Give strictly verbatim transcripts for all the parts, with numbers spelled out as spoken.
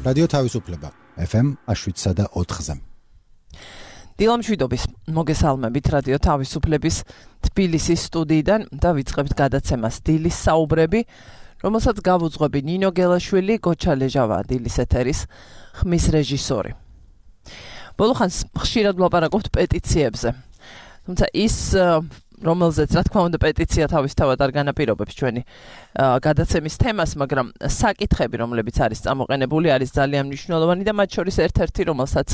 რადიო თავისუფლება ეფ ემ შვიდსა და ოთხზე. დილამშვიდობის მოგესალმებით რადიო თავისუფლების თბილისის სტუდიიდან და ვიწყებთ გადაცემას დილის საუბრები, რომელსაც გავუძღვები ნინო გელაშვილი, გოჩა ლეჟავა დილის ეთერის ხმის რეჟისორი. ბოლო ხანს ხშირად ვლაპარაკობთ პეტიციებზე. თუმცა ის რომელზეც რა თქმა უნდა პეტიცია თავისთავად არ განაპირობებს ჩვენი გადაცემის თემას, მაგრამ საკითხები, რომლებიც არის წამოყენებული, არის ძალიან მნიშვნელოვანი და მათ შორის ერთ-ერთი, რომელსაც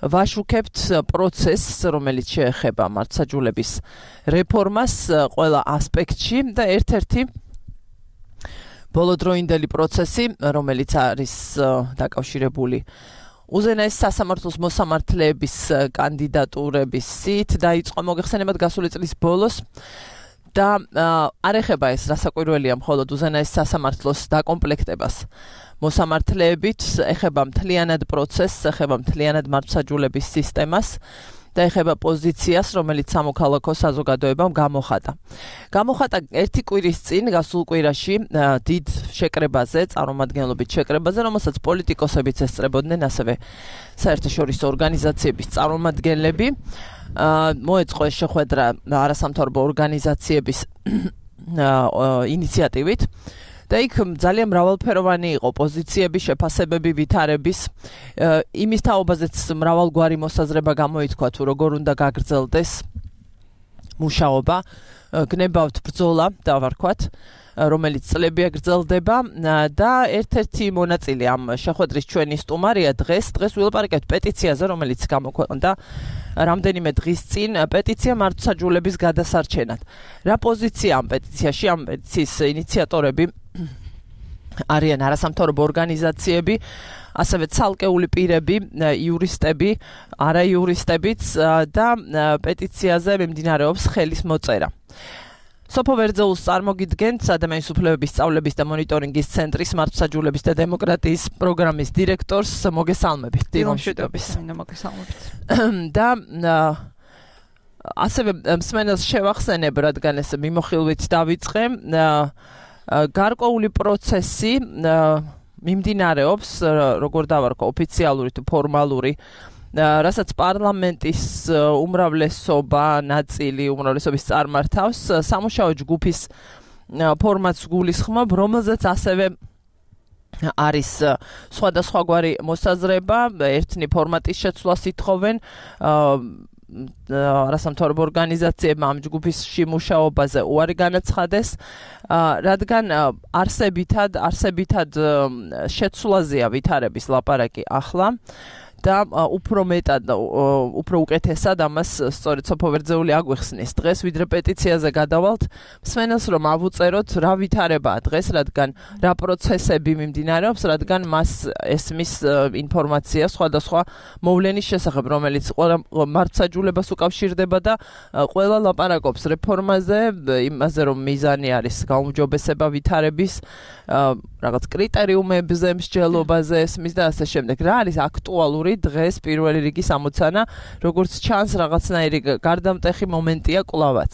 ვაშუქებთ პროცესს, რომელიც შეეხება მართლმსაჯულების რეფორმას ყველა ასპექტში და ერთ-ერთი ბოლოდროინდელი პროცესი, რომელიც არის დაკავშირებული უზენაეს სასამართლოს მოსამართლეების კანდიდატურების სით დაიწყო მოგეხსენებათ გასული წლის ბოლოს და არ ეხება ეს რასაკვირველია მხოლოდ უზენაეს სასამართლოს დაკომპლექტებას მოსამართლეებით, ეხება მთლიანად პროცესს, ეხება მთლიანად მართლმსაჯულების სისტემას და ეხება პოზიციას, რომელიც სამოქალაქო საზოგადოებამ გამოხატა. გამოხატა ერთი კვირის წინ, გასულ კვირაში, დიდ შეკრებაზე, წარმომადგენლობით შეკრებაზე, რომელსაც პოლიტიკოსებიც ესწრებოდნენ, ასევე საერთაშორისო ორგანიზაციების წარმომადგენლები. მოეწყო ეს შეხვედრა არასამთავრობო ორგანიზაციების ინიციატივით. და იქ ძალიან მრავალფეროვანი იყო პოზიციები, შეფასებები, ვითარების, იმის თაობაზეც მრავალგვარი მოსაზრება გამოითქვა, თუ როგორ უნდა გაგრძელდეს მუშაობა, გნებავთ ბრძოლა, დავარქვათ, რომელიც წლებია გრძელდება და ერთ-ერთი მონაწილე ამ შეხვედრის ჩვენი სტუმარია დღეს, დღეს ვილაპარაკებთ პეტიციაზე, რომელიც გამოქვეყნდა რამდენიმე დღის წინ, პეტიცია მართლმსაჯულების გადასარჩენად. რა პოზიცია ამ პეტიციაში, ამ პეტიციის ინიციატორები არიან არასამთავრობო ორგანიზაციები, ასევე ცალკეული პირები, იურისტები, არაიურისტებიც და პეტიციაზე მიმდინარეობს ხელის მოწერა. სოფო ვერძეულს წარმოგიდგენთ ადამიანის უფლებების სწავლების და მონიტორინგის ცენტრის მართლმსაჯულების და დემოკრატიის პროგრამის დირექტორს, მოგესალმებით. დილამშვიდობის. მოგესალმებით. და ასევე მსმენელს შევახსენებ, რადგან ეს მიმოხილვით დავიწყე, გარკვეული პროცესი მიმდინარეობს, როგორ დავარქვა, ოფიციალური თუ ფორმალური, რასაც პარლამენტის უმრავლესობა, ნაწილი უმრავლესობის წარმართავს, სამუშაო ჯგუფის ფორმატს გულისხმობ, რომელზეც ასევე არის სხვადასხვაგვარი მოსაზრება, ერთნი ფორმატის შეცვლას ითხოვენ, არასამთავრობო ორგანიზაციებმა ამ ჯგუფის მუშაობაზე უარი განაცხადეს, რადგან არსებითად, არსებითად შეცვლაზეა ვითარების ლაპარაკი ახლა. და უფრო მეტად, უფრო უკეთესად ამას სწორედ სოფო ვერძეული აგვიხსნის დღეს, ვიდრე პეტიციაზე გადავალთ, მსმენელს რომ ავუწეროთ რა ვითარებაა დღეს, რადგან რა პროცესები მიმდინარეობს, რადგან მას ესმის ინფორმაცია სხვადასხვა მოვლენის შესახებ, რომელიც მართლმსაჯულებას უკავშირდება და ყველა ლაპარაკობს რეფორმაზე, იმაზე რომ მიზანი არის გაუმჯობესება ვითარების, რაღაც კრიტერიუმებზე, მსჯელობაზე ესმის და ასე შემდეგ. რა არის აქტუალური დღეს პირველი რიგის ამოცანა, როგორც ჩანს რაღაცნაირი გარდამტეხი მომენტია კვლავაც.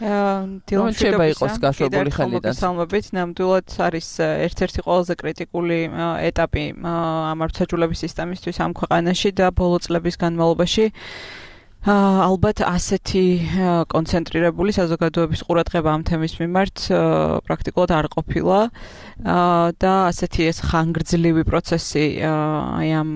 დილამშვიდობა იყოს გაშვებული ხელიდან. მოგესალმებით, ნამდვილად არის ერთ-ერთი ყველაზე კრიტიკული ეტაპი ამ მართლმსაჯულების სისტემისთვის ამ ქვეყანაში და ბოლო წლების განმავლობაში ალბათ ასეთი კონცენტრირებული საზოგადოების ყურადღება ამ თემის მიმართ პრაქტიკულად არ ყოფილა და ასეთი ეს ხანგრძლივი პროცესი აი ამ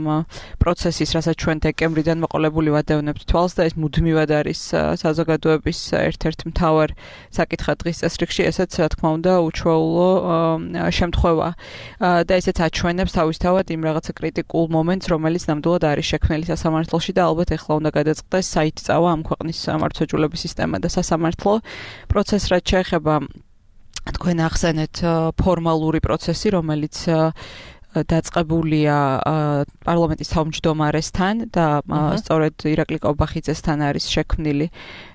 პროცესის, რასაც ჩვენ დეკემბრიდან მოყოლებული ვადევნებთ თვალს და ეს მუდმივად არის საზოგადოების ერთ-ერთ მთავარ საკითხად დღის წესრიგში, ესეც რა თქმა უნდა უჩვეულო შემთხვევა და ესეც აჩვენებს თავისთავად იმ რაღაცა კრიტიკულ მომენტს, რომელიც ნამდვილად არის შექმნილი სასამართლოში და ალბათ ეხლა უნდა გადაწყდეს საით წავა ამ ქვეყნის მართლმსაჯულების სისტემა და სასამართლო პროცესს, რაც შეეხება თქვენ ახსენეთ ფორმალური პროცესი, რომელიც დაწყებულია პარლამენტის თავმჯდომარესთან და სწორედ ირაკლი კობახიძესთან არის შექმნილი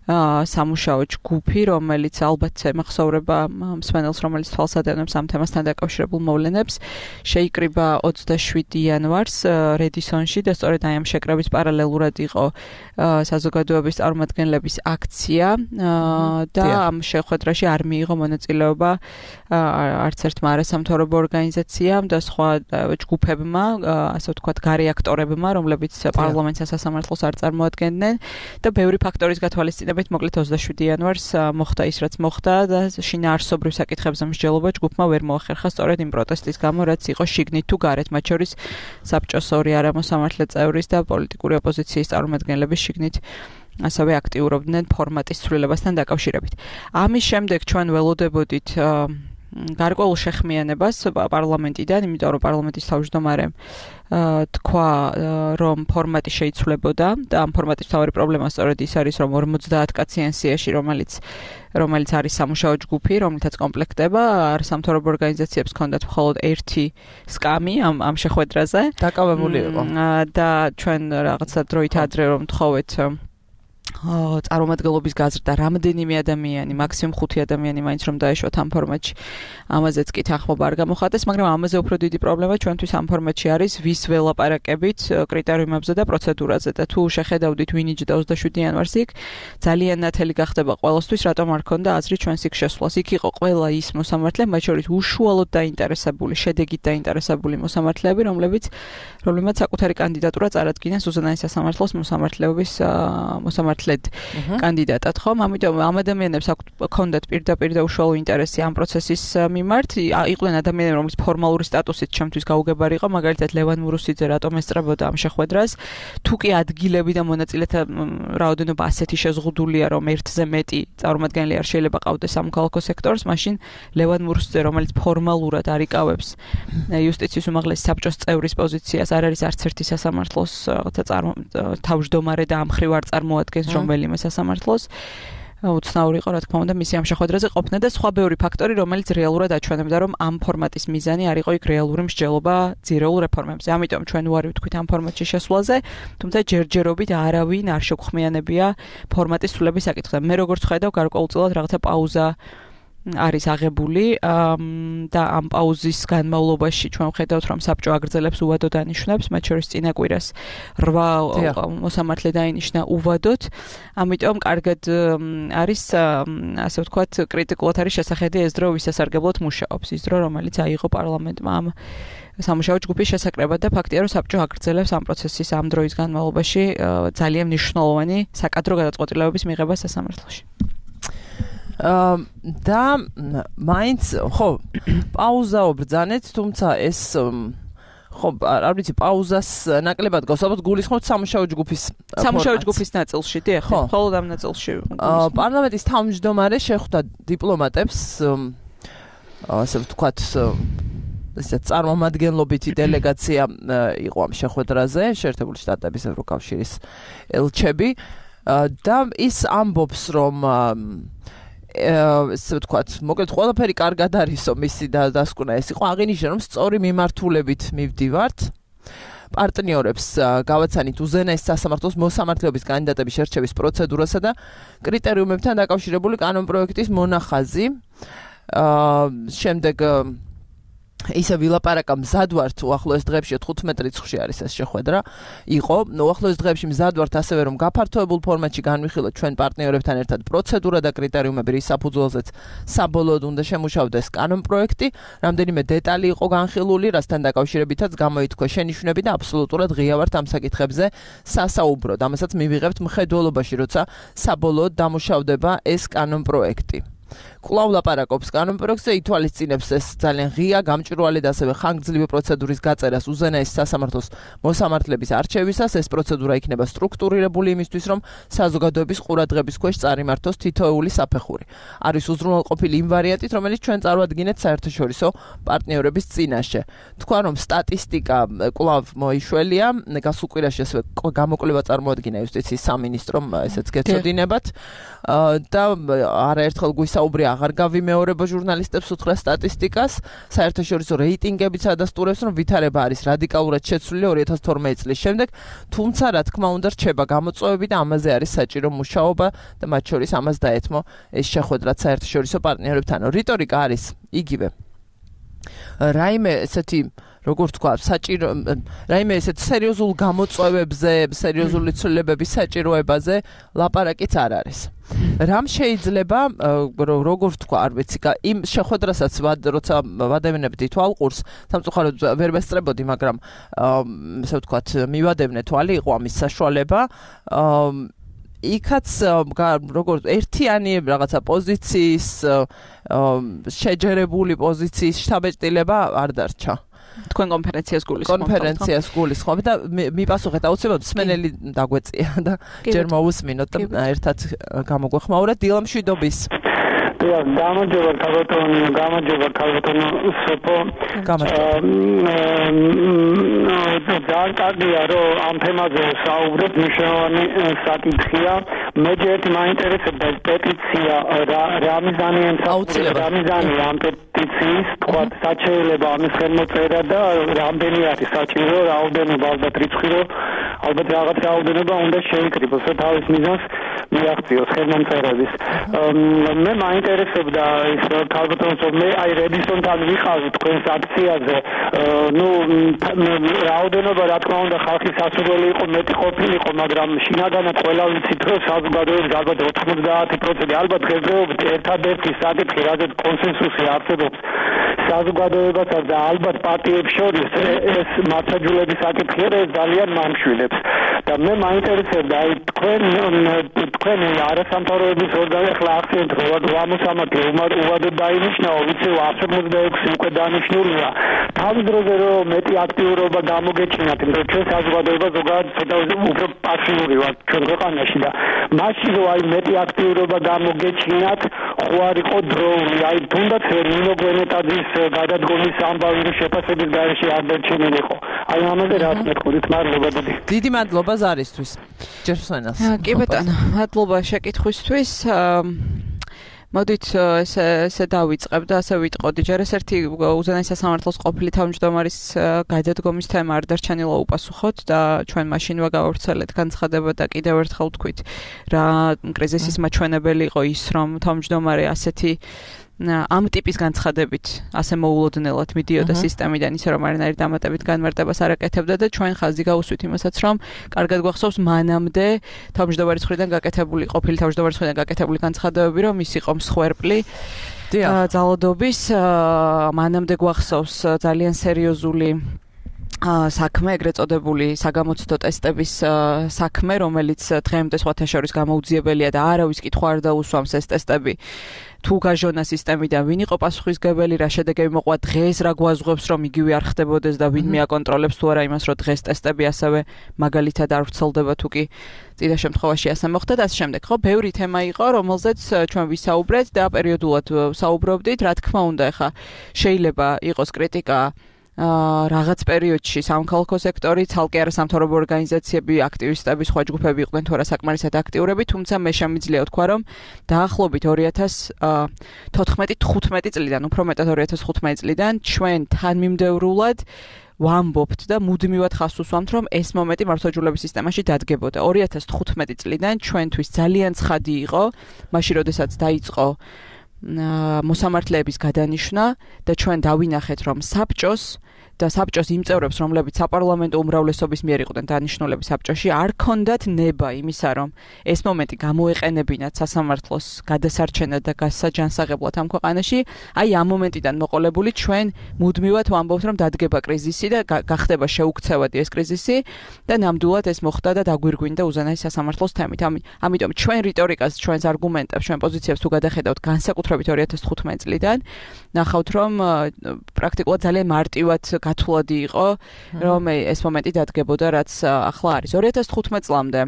სამუშაო ჯგუფი, რომელიც ალბათ ემახსოვრება მსმენელს, რომელიც თვალს ადევნებს ამ თემასთან დაკავშირებულ მოვლენებს, შეიკრიბა ოცდაშვიდი იანვარს რედისონში და სწორედ აი ამ შეკრების პარალელურად იყო საზოგადოების წარმომადგენლების აქცია და ამ შეხვედრაში არ მიიღო მონაწილეობა არც ერთმა არასამთავრობო ორგანიზაციამ და სხვა ჯგუფებმა, ასე ვთქვათ, გარე აქტორებმა, რომლებიც პარლამენტს სასამართლოს არ წარმოადგენდნენ და ბევრი ფაქტორის გათვალისწინებით მოკლედ ოცდაშვიდი იანვარს მოხდა ის, რაც მოხდა და შინაარსობრივ საკითხებზე მსჯელობა ჯგუფმა ვერ მოახერხა სწორედ იმ პროტესტის გამო, რაც იყო შიგნით თუ გარეთ, მათ შორის საბჭოს ორი არამოსამართლე წევრის და პოლიტიკური ოპოზიციის წარმომადგენლების შიგნით ასევე აქტიურობდნენ ფორმატის ცვლილებასთან დაკავშირებით. ამის შემდეგ ჩვენ ველოდებოდით გარკვეულ შეხმიანებას პარლამენტიდან, იმიტომ რომ პარლამენტის თავმჯდომარემ თქვა, რომ ფორმატი შეიცვლებოდა და ამ ფორმატის მთავარი პრობლემა სწორედ ის არის, რომ ორმოცდაათ კაციან სიაში, რომელიც რომელიც არის სამუშაო ჯგუფი, რომლითაც კომპლექტება, სამთავრობო ორგანიზაციებს ჰქონდათ მხოლოდ ერთი სკამი ამ ამ შეხვედრაზე. დაკავებული იყო. და ჩვენ რაღაცა დროით ადრე რომ თხოვეთ წარმომადგენლობის გაზრდა რამდენიმე ადამიანი, მაქსიმუმ ხუთი ადამიანი მაინც რომ დაეშვათ ამ ფორმატში. ამაზეც კი თანხმობა არ გამოხატეს, მაგრამ ამაზე უფრო დიდი პრობლემა ჩვენთვის ამ ფორმატში არის ვის ველაპარაკებით კრიტერიუმებზე და პროცედურაზე და თუ შეხედავდით ვინ იჯდა ოცდაშვიდი იანვარს იქ, ძალიან ნათელი გახდება ყველასთვის, რატომ არ ქონდა აზრი ჩვენს იქ შესვლას. იქ იყო ყველა ის მოსამართლე, მათ შორის უშუალოდ დაინტერესებული, შედეგით დაინტერესებული მოსამართლეები, რომლებიც რომლებმაც საკუთარი კანდიდატურა წარადგინეს უზენაეს სასამართლოს მოსამართლეობის მოსამართლედ კანდიდატად, ხომ? ამიტომ ამ ადამიანებს ჰქონდათ პირდაპირ და უშუალო ინტერესი ამ პროცესის მიმართ. იყვნენ ადამიანები, რომლის ფორმალური სტატუსით ჩემთვის გაუგებარი იყო, მაგალითად ლევან მურუსიძე რატომ ესწრებოდა ამ შეხვედრას. თუ კი ადგილები და მონაწილეთა რაოდენობა ასეთი შეზღუდულია, რომ ერთზე მეტი წარმომადგენელი არ შეიძლება ყავდეს სამოქალაქო სექტორს, მაშინ ლევან მურუსიძე, რომელიც ფორმალურად არ იკავებს იუსტიციის უმაღლესი საბჭოს წევრის პოზიციას, არ არის არც ერთი სასამართლოს თავმჯდომარე და ამ მხრივ არ წარმოადგენს რომელიმე სასამართლოს. უცნაური იყო, რა თქმა უნდა, მისი ამ შეხვედრაზე ყოფნა და სხვა ბევრი ფაქტორი, რომელიც რეალურად აჩვენებდა, რომ ამ ფორმატის მიზანი არ იყო იქ რეალური მსჯელობა ძირეულ რეფორმებზე. ამიტომ ჩვენ უარი ვთქვით ამ ფორმატში შესვლაზე, თუმცა ჯერჯერობით არავინ არ შეგხმიანებია ფორმატის ცვლილების საკითხზე. მე როგორც ხედავ, გარკვეულწილად რაღაცა პაუზა არის აღებული და ამ პაუზის განმავლობაში ჩვენ ვხედავთ, რომ საბჭო აგრძელებს უვადო დანიშვნებს, მათ შორის წინა კვირას რვა მოსამართლე დაინიშნა უვადოდ. ამიტომ კარგად არის, ასე ვთქვათ, კრიტიკულად არის შესახედი ეს დრო ვისასარგებლოდ მუშაობს, ის დრო, რომელიც აიღო პარლამენტმა ამ სამუშაო ჯგუფის შესაკრებად და ფაქტია, რომ საბჭო აგრძელებს ამ პროცესის ამ დროის განმავლობაში ძალიან მნიშვნელოვანი საკადრო გადაწყვეტილებების მიღება სასამართლოში. და მაინც ხო პაუზა ვბრძანეთ, თუმცა ეს ხო არ ვიცი პაუზას ნაკლებად გავს, ალბათ გულისხმობთ სამუშაო ჯგუფის სამუშაო ჯგუფის ნაწილში, დიახ, მხოლოდ ამ ნაწილში. პარლამენტის თავმჯდომარე შეხვდა დიპლომატებს, ასე ვთქვათ, ესე წარმომადგენლობითი დელეგაცია იყო ამ შეხვედრაზე, შეერთებული შტატების ევროკავშირის ელჩები და ის ამბობს, რომ ესე ვთქვათ, მოკლედ ყველაფერი კარგად არისო მისი დასკვნა ეს იყო, აღინიშნა რომ სწორი მიმართულებით მივდივართ. პარტნიორებს გავაცანით უზენაეს სასამართლოს მოსამართლეობის კანდიდატების შერჩევის პროცედურასა და კრიტერიუმებთან დაკავშირებული კანონპროექტის მონახაზი. შემდეგ ისე ვილაპარაკა მზად ვართ უახლოეს დღეებში თხუთმეტ რიცხვში არის ეს შეხვედრა იყო უახლოეს დღეებში მზად ვართ ასევე რომ გაფართოებულ ფორმატში განვიხილოთ ჩვენ პარტნიორებთან ერთად პროცედურა და კრიტერიუმები რის საფუძველზეც საბოლოოდ უნდა შემუშავდეს კანონპროექტი რამდენიმე დეტალი იყო განხილული რასთან დაკავშირებითაც გამოითქვა შენიშვნები და აბსოლუტურად ღია ვართ ამ საკითხებზე სასაუბროდ ამასაც მივიღებთ მხედველობაში როცა საბოლოოდ დამუშავდება ეს კანონპროექტი კვლავ ლაპარაკობს კანონპროექტზე ითვალისწინებს ეს ძალიან ღია გამჭვირვალე და ასევე ხანგრძლივი პროცედურის გაწერას უზენაეს სასამართლოს მოსამართლების არჩევისას ეს პროცედურა იქნება სტრუქტურირებული იმისთვის რომ საზოგადოების ყურადღების ქვეშ წარიმართოს თითოეული საფეხური არის უზრუნველყოფილი იმ ვარიანტით რომელიც ჩვენ წარვადგინეთ საერთაშორისო პარტნიორების წინაშე თქვა რომ სტატისტიკა კვლავ მოიშველია გასულ კვირაში ასევე გამოკვლევა წარმოადგინა იუსტიციის სამინისტრომ ესეც გეცოდინებათ და არაერთხელ ვისაუბრე აღარ გავიმეორება ჟურნალისტებს უთხრა სტატისტიკას, საერთაშორისო რეიტინგებიც ადასტურებს, რომ ვითარება არის რადიკალურად შეცვლილი ორი ათას თორმეტი წლის შემდეგ, თუმცა რა თქმა უნდა რჩება გამოწვევები და ამაზე არის საჭირო მუშაობა და მათ შორის ამას დაეთმო ეს შეხვედრაც საერთაშორისო პარტნიორებთან. რიტორიკა არის იგივე. რაიმე ესეთი როგორ თქვა, საჭირო რაიმე ესეთ სერიოზულ გამოწვევებზე, სერიოზული ცვლილებების საჭიროებაზე ლაპარაკიც არ არის. რამ შეიძლება როგორ თქვა, არ ვიცი, იმ შეხვედრასაც როცა ვადევნებდი თვალყურს, სამწუხაროდ ვერ ვესწრებოდი, მაგრამ ესე ვთქვათ, მივადევნე თვალი, იყო ამის საშუალება. იქაც როგორ ერთიანი რაღაცა პოზიციის შეჯერებული პოზიციის შთაბეჭდილება არ დარჩა. თქვენ კონფერენციას გულისხმობთ. კონფერენციას გულისხმობთ და მიპასუხეთ აუცილებლად მსმენელი დაგვეწია და ჯერ მოусმინოთ და ერთად გამოგვეხმაურეთ დილამშვიდობის. გამარჯობა ქალბატონ, გამარჯობა ქალბატონ სოფო. ძალიან კარგია რომ ამ თემაზე საუბრობ, მნიშვნელოვანი საკითხია. მე ჯერ მაინტერესებდა პეტიცია რა მიზანია აუცილებლად რა მიზანია ამ პეტიციის, თქვა საჩეულება ამის ხელმოწერა და რამდენი არის საჭირო, რაოდენობა ალბათ რიცხვი რომ ალბათ რაღაც რაოდენობა უნდა შეიკრიბოს, რომ თავის მიზანს მიაღწიოს ხელმომწერების. მე მაინტერესებდა ის ქალბატონო, მე აი რედისონთან ვიყავი თქვენს აქციაზე. ნუ რაოდენობა რა თქმა უნდა ხალხის სასურველი იყო, მეტი ყოფილიყო, მაგრამ შინაგანად ყველა ვიცით რომ საზოგადოების ალბათ ოცდაათი პროცენტი ალბათ დღესდღეობით ერთადერთი საკითხი, რაზეც კონსენსუსი არსებობს საზოგადოებასა და ალბათ პარტიებს შორის ეს მართლმსაჯულების საკითხია და ეს ძალიან მამშვილებს. და მე მაინტერესებდა აი თქვენ თქვენ არასამთავრობო ორგანო ახლა აქცენტ რამოსამართლე უვადოდ დაინიშნაო, ვიცი εκατი ოცდაექვსი უკვე დანიშნულია. თავის დროზე რომ მეტი აქტიურობა გამოგეჩინათ, იმიტომ ჩვენ საზოგადოება ზოგადად ცოტა უფრო პასიური ვართ ჩვენ ქვეყანაში და მაშინ რომ აი მეტი აქტიურობა გამოგეჩინათ, ხო არ იყო დროული, აი თუნდაც ნინო გვენეტაძის გადადგომის ამბავი შეფასების გარეშე არ დარჩენილიყო. აი ამაზე რა მეთქოდით, მადლობა დიდი. დიდი მადლობა ზარისთვის. ჯერსონას. კი ბატონო, მადლობა შეკითხვისთვის. მოდით ესე ესე დავიწყებ და ასე ვიტყოდი. ჯერ ეს ერთი უზენაესი სასამართლოს ყოფილი თავმჯდომარის გადადგომის თემა არ დარჩენილა უპასუხოთ და ჩვენ მაშინ ვაგავრცელეთ განცხადება და კიდევ ერთხელ ვთქვით რა კრიზისის მაჩვენებელი იყო ის, რომ თავმჯდომარე ასეთი ამ ტიპის განცხადებით ასე მოულოდნელად მიდიოდა სისტემიდან, ისე რომ არანაირი დამატებით განმარტებას არ აკეთებდა და ჩვენ ხაზი გავუსვით იმასაც, რომ კარგად გვახსოვს მანამდე თავმჯდომარის მხრიდან გაკეთებული, ყოფილი თავმჯდომარის მხრიდან გაკეთებული განცხადებები, რომ ის იყო მსხვერპლი ძალადობის, მანამდე გვახსოვს ძალიან სერიოზული საქმე, ეგრეთ წოდებული საგამოცდო ტესტების საქმე, რომელიც დღემდე სხვათა შორის გამოუძიებელია და არავის კითხვა არ დაუსვამს ეს ტესტები. თუ გაჟონა სისტემიდან ვინ იყო პასუხისმგებელი, რა შედეგები მოყვა დღეს, რა გვაზღებს რომ იგივე არ ხდებოდეს და ვინმე აკონტროლებს თუ არა იმას, რომ დღეს ტესტები ასევე მაგალითად არ ვრცელდება თუ კი წინა შემთხვევაში ასე მოხდა და ასე შემდეგ. ხო, ბევრი თემა იყო, რომელზეც ჩვენ ვისაუბრეთ და პერიოდულად საუბრობდით. რა თქმა უნდა, ეხა შეიძლება იყოს კრიტიკა რაღაც პერიოდში სამხალხო სექტორი, ცალკე არასამთავრობო ორგანიზაციები, აქტივისტები, სხვა ჯგუფები იყვნენ თუ არა საკმარისად აქტიურები, თუმცა მე შემიძლია ვთქვა, რომ დაახლოებით ორი ათას თოთხმეტი თხუთმეტი წლიდან, უფრო მეტად ორი ათას თხუთმეტი წლიდან ჩვენ თანმიმდევრულად ვამბობთ და მუდმივად ხაზს უსვამთ, რომ ეს მომენტი მართლმსაჯულების სისტემაში დადგებოდა. ორი ათას თხუთმეტი წლიდან ჩვენთვის ძალიან ცხადი იყო, მაშინ როდესაც დაიწყო მოსამართლეების გადანიშვნა და ჩვენ დავინახეთ, რომ საბჭოს და საბჭოს იმ წევრებს, რომლებიც საპარლამენტო უმრავლესობის მიერ იყვნენ დანიშნულები საბჭოში, არ ქონდათ ნება იმისა, რომ ეს მომენტი გამოეყენებინათ სასამართლოს გადასარჩენად და გასაჯანსაღებლად ამ ქვეყანაში. აი ამ მომენტიდან მოყოლებული ჩვენ მუდმივად ვამბობთ, რომ დადგება კრიზისი და გახდება შეუქცევადი ეს კრიზისი და ნამდვილად ეს მოხდა და დაგვირგვინდა უზენაესი სასამართლოს თემით. ამიტომ ჩვენ რიტორიკას, ჩვენს არგუმენტებს, ჩვენ პოზიციებს თუ გადახედავთ განსაკუთრებით ორი ათას თხუთმეტი წლიდან, ნახავთ, რომ პრაქტიკულად ძალიან მარტივად გათვლადი იყო, რომ ეს მომენტი დადგებოდა, რაც ახლა არის. ორი ათას თხუთმეტი წლამდე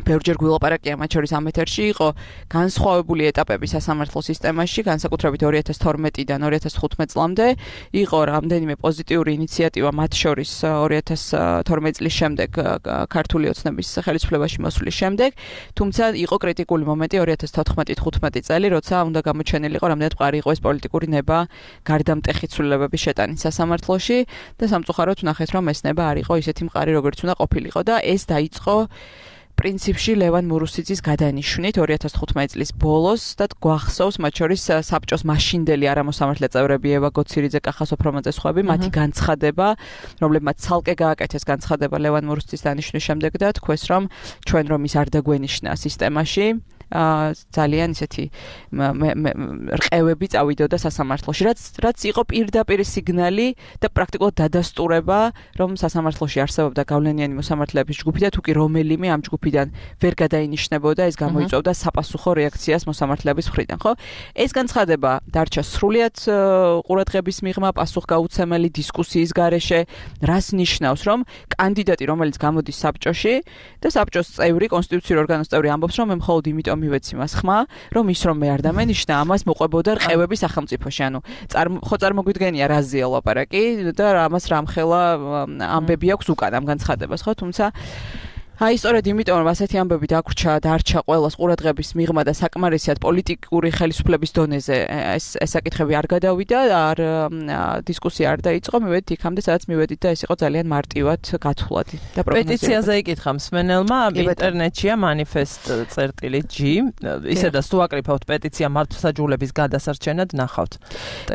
ბევრჯერ გვილაპარაკია მათ შორის ამ ეთერში იყო განსხვავებული ეტაპები სასამართლო სისტემაში, განსაკუთრებით ორი ათას თორმეტიდან ორი ათას თხუთმეტ წლამდე იყო რამდენიმე პოზიტიური ინიციატივა მათ შორის ორი ათას თორმეტ წლის შემდეგ ქართული ოცნების ხელისუფლებაში მოსვლის შემდეგ, თუმცა იყო კრიტიკული მომენტი ორი ათას თოთხმეტი თხუთმეტი წელი, როცა უნდა გამოჩენილიყო რამდენად მყარი იყო ეს პოლიტიკური ნება გარდამტეხი ცვლილებების შეტანით სასამართლოში და სამწუხაროდ ვნახეთ, რომ ეს ნება არ იყო ისეთი მყარი, როგორც უნდა ყოფილიყო და ეს დაიწყო პრინციპში ლევან მურუსიძის გადანიშვნით ორი ათას თხუთმეტი წლის ბოლოს და გვახსოვს მათ შორის საბჭოს მაშინდელი არამოსამართლე წევრები ევა გოცირიძე, კახა სოფრომაძე სხვები, მათი განცხადება, რომლებმაც ცალკე გააკეთეს განცხადება ლევან მურუსიძის დანიშვნის შემდეგ და თქვეს, რომ ჩვენ რომ ის არ დაგვენიშნა სისტემაში ძალიან ისეთი რყევები წავიდოდა სასამართლოში, რაც რაც იყო პირდაპირ სიგნალი და პრაქტიკულად დადასტურება, რომ სასამართლოში არსებობდა გავლენიანი მოსამართლეების ჯგუფი და თუკი რომელიმე ამ ჯგუფიდან ვერ გადაინიშნებოდა, ეს გამოიწვევდა საპასუხო რეაქციას მოსამართლეების მხრიდან, ხო? ეს განცხადება დარჩა სრულიად ყურადღების მიღმა, პასუხგაუცემელი დისკუსიის გარეშე, რას ნიშნავს, რომ კანდიდატი, რომელიც გამოდის საბჭოში და საბჭოს წევრი, კონსტიტუციურ ორგანოს წევრი ამბობს, რომ მე მხოლოდ იმიტომ მივეცი მას ხმა, რომ ის რომ მე არ დამენიშნა, ამას მოყვებოდა რყევები სახელმწიფოში. ანუ ხო წარმოგვიდგენია რაზეა ლაპარაკი და ამას რამხელა ამბები აქვს უკან ამ განცხადებას, ხო? თუმცა აი სწორედ იმიტომ რომ ასეთი ამბები დაგვრჩა, დარჩა ყოველას ყურადღების მიღმა და საკმარისად პოლიტიკური ხელისუფლების დონეზე ეს ეს საკითხები არ გადავიდა, არ დისკუსია არ დაიწყო, მივედით იქამდე, სადაც მივედით და ეს იყო ძალიან მარტივად გათვლადი და პროგნოზირებული. პეტიციაზე იკითხა მსმენელმა ინტერნეტშია manifest წერტილი G, ისედაც თუ აკრიფავთ პეტიცია მართლმსაჯულების გადასარჩენად ნახავთ.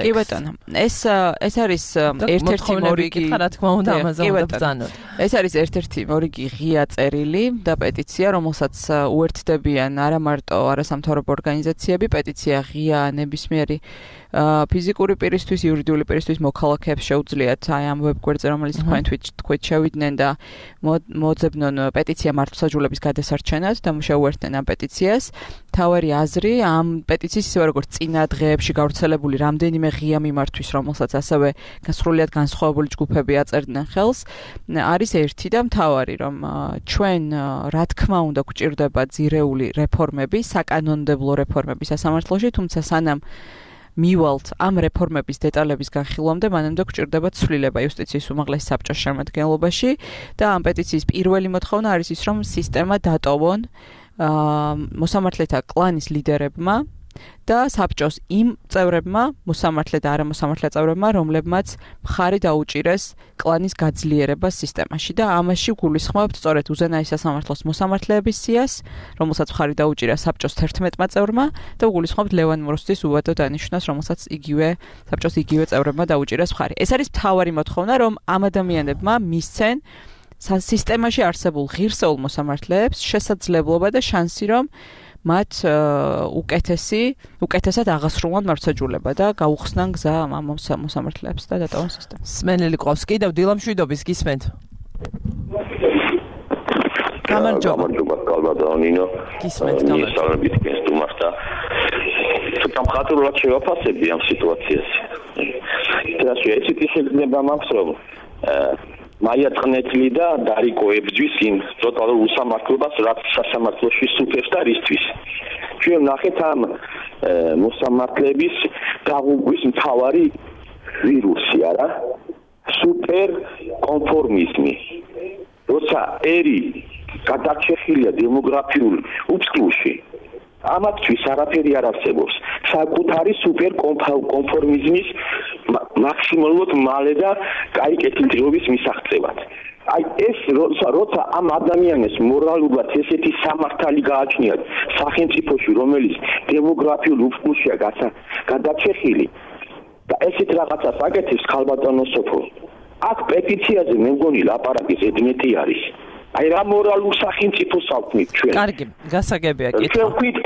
კი ბატონო, ეს ეს არის ერთ-ერთი მორიგი, რა თქმა უნდა, ამაზე უნდა ბრძანოთ. ეს არის ერთ-ერთი მორიგი ღია და პეტიცია, რომელსაც უერთდებიან არა მარტო არასამთავრობო ორგანიზაციები, პეტიცია ღია ნებისმიერი ფიზიკური პირისთვის, იურიდიული პირისთვის მოქალაქეებს შეუძლიათ აი ამ ვებგვერდზე, რომელიც თქვენ თქვით შევიდნენ და მოძებნონ პეტიცია მართლმსაჯულების გადასარჩენად და შეუერთდნენ ამ პეტიციას. თავარი აზრი ამ პეტიციის ისე როგორც წინა დღეებში გავრცელებული რამდენიმე ღია მიმართვის, რომელსაც ასევე სრულიად განსხვავებული ჯგუფები აწერდნენ ხელს, არის ერთი და მთავარი, რომ ჩვენ რა თქმა უნდა გვჭირდება ძირეული რეფორმები, საკანონმდებლო რეფორმები სასამართლოში, თუმცა სანამ მივალთ ამ რეფორმების დეტალების განხილვამდე, მანამდე გვჭირდება ცვლილება იუსტიციის უმაღლეს საბჭოს შემადგენლობაში და ამ პეტიციის პირველი მოთხოვნა არის ის, რომ სისტემა დატოვონ მოსამართლეთა კლანის ლიდერებმა და საბჭოს იმ წევრებმა, მოსამართლე და არამოსამართლე წევრებმა, რომლებმაც მხარი დაუჭირეს კლანის გაძლიერებას სისტემაში და ამაში გულისხმობთ სწორედ უზენაეს სასამართლოს მოსამართლეების სიას, რომელსაც მხარი დაუჭირა საბჭოს თერთმეტმა წევრმა და გულისხმობთ ლევან მურუსიძის უვადო დანიშვნას, რომელსაც იგივე საბჭოს იგივე წევრებმა დაუჭირეს მხარი. ეს არის მთავარი მოთხოვნა, რომ ამ ადამიანებმა მისცენ სისტემაში არსებულ ღირსეულ მოსამართლეებს შესაძლებლობა და შანსი, რომ მათ უკეთესი, უკეთესად აღასრულონ მართლმსაჯულება და გაუხსნან გზა ამ მოსამართლეებს და დატოვონ სისტემა. სმენელი ყავს კიდევ დილამშვიდობის გისმენთ. გამარჯობა. გამარჯობა, კალბატონინო. გისმენთ, გამარჯობა. სალამებით გესტუმართ და ცოტა მხატვრულად შევაფასებდი ამ სიტუაციას. და შეიძლება შეიძლება მაქვს რომ მაია წნეთლი და დარიკო ებძვის იმ ტოტალურ უსამართლობას, რაც სასამართლოში სუფევს და რისთვის. ჩვენ ნახეთ ამ მოსამართლეების დაღუპვის მთავარი ვირუსი, არა? სუპერ კონფორმიზმი. როცა ერი გადაჭეხილია დემოგრაფიულ უფსკლუში, ამათთვის არაფერი არ არსებობს. საკუთარი სუპერ კონფორმიზმის მაქსიმალურად მალე და კაი კეთილდღეობის მისაღწევად. აი ეს როცა როცა ამ ადამიანებს მორალურად ესეთი სამართალი გააჩნიათ სახელმწიფოში, რომელიც დემოგრაფიულ უფსკლუშია გადაჭეხილი და ესეთ რაღაცას აკეთებს ქალბატონო სოფო. აქ პეტიციაზე მე მგონი ლაპარაკი ზედმეტი არის. აი რა მორალურ სახელმწიფოს ავთმით ჩვენ. კარგი, გასაგებია კითხვა. ჩვენ ვქვით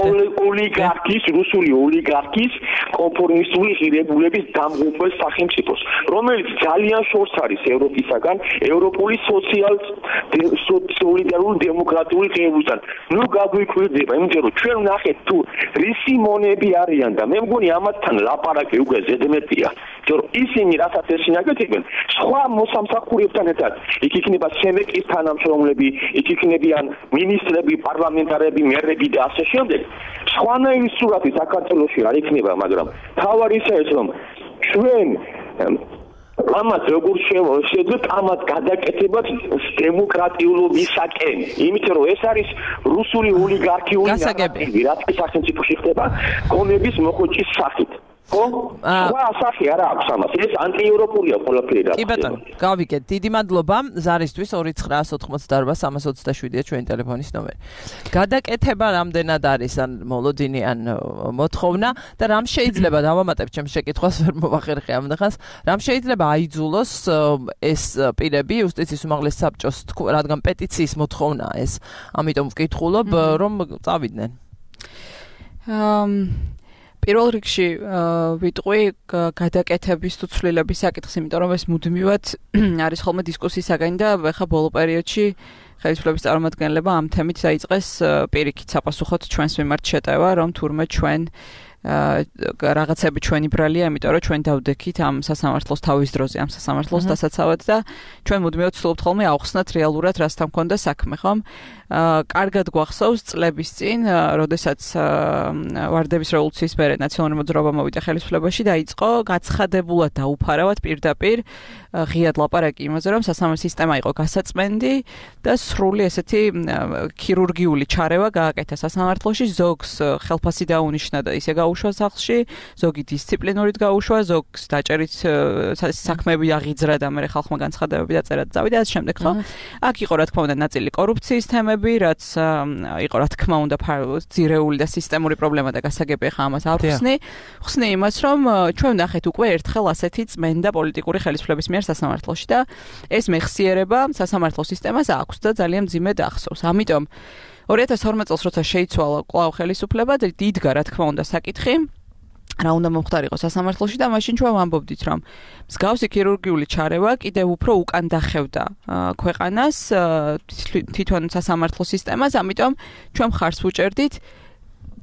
ოლიგარქის, რუსული ოლიგარქის კონფორმისტული ღირებულების დამღუპველ სახელმწიფოს, რომელიც ძალიან შორს არის ევროპისაგან, ევროპული სოციალ სოლიდარული დემოკრატიული ღირებულებისგან. ნუ გაგვიკვირდება, იმიტომ რომ ჩვენ ვნახეთ თუ რისი მონები არიან და მე მგონი ამათთან ლაპარაკი უკვე ზედმეტია. იმიტომ რომ ისინი რასაც ეშინაგებენ, სხვა მოსამსახურებთან ერთად, იქ იქნება სენატის თანამშრომლები, იქ იქნებიან მინისტრები, პარლამენტარები, მერები და ასე შემდეგ. სხვანაირი სურათი საქართველოში არ იქნება, მაგრამ თავარი ის რომ ჩვენ ამათ როგორ შევხედოთ ამათ გადაკეთებას დემოკრატიულობისაკენ, იმიტომ რომ ეს არის რუსული ოლიგარქიული ნარატივი, რაც სახელმწიფოში ხდება გონების მოხოჭის სახით. ხო? სხვა სახე არა აქვს ამას. ეს ანტიევროპულია ყველაფერი რა. კი ბატონო, გავიგეთ. დიდი მადლობა ზარისთვის ორი ცხრა ოცდაოთხმოცდაარბა სამას ოცდაშვიდია ჩვენი ტელეფონის ნომერი. გადაკეთება რამდენად არის ან მოლოდინი ან მოთხოვნა და რამ შეიძლება დავამატებ ჩემს შეკითხვას ვერ მოვახერხე ამდღას, რამ შეიძლება აიძულოს ეს პირები იუსტიციის უმაღლეს საბჭოს, რადგან პეტიციის მოთხოვნაა ეს. ამიტომ ვკითხულობ რომ წავიდნენ. აა პირველ რიგში ვიტყვი გადაკეთების თუ ცვლილების საკითხს, იმიტომ რომ ეს მუდმივად არის ხოლმე დისკუსიის საგანი და ახლა ბოლო პერიოდში ხელისუფლების წარმომადგენლება ამ თემით დაიწყეს პირიქით საპასუხოდ ჩვენს მიმართ შეტევა, რომ თურმე ჩვენ რაღაცები ჩვენი ბრალია, იმიტომ რომ ჩვენ დავდექით ამ სასამართლოს თავის დროზე, ამ სასამართლოს დასაცავად და ჩვენ მუდმივად ვცდილობთ ხოლმე ავხსნათ რეალურად რასთან მქონდა საქმე, ხომ? კარგად გვახსოვს წლების წინ, როდესაც ვარდების რევოლუციის მერე ნაციონალური მოძრაობა მოვიდა ხელისუფლებაში, დაიწყო გაცხადებულად და უფარავად პირდაპირ ღიად ლაპარაკი იმაზე, რომ სასამართლო სისტემა იყო გასაწმენდი და სრული ესეთი ქირურგიული ჩარევა გააკეთა სასამართლოში, ზოგს ხელფასი დაუნიშნა და ისე გაუშვა სახლში, ზოგი დისციპლინურით გაუშვა, ზოგს დაჭერით საქმეები აღიძრა და მერე ხალხმა განცხადებები დაწერა და წავიდა ასე შემდეგ, ხო? აქ იყო რა თქმა უნდა ნაწილი კორუფციის თემები, რაც იყო რა თქმა უნდა ძირეული და სისტემური პრობლემა და გასაგები ხა ამას არ ვხსნი. ვხსნი იმას, რომ ჩვენ ნახეთ უკვე ერთხელ ასეთი წმენდა პოლიტიკური ხელისუფლების მიერ სასამართლოში და ეს მეხსიერება სასამართლო სისტემას აქვს და ძალიან მძიმედ ახსოვს. ამიტომ ორი ათას ორმეტ წელს როცა შეიცვალა კვლავ ხელისუფლება და დიდგა რა თქმა უნდა საკითხი რა უნდა მომხდარიყო სასამართლოში და მაშინ ჩვენ ვამბობდით რომ მსგავსი ქირურგიული ჩარევა კიდევ უფრო უკან დახევდა ქვეყანას თვითონ სასამართლო სისტემას, ამიტომ ჩვენ მხარს ვუჭერდით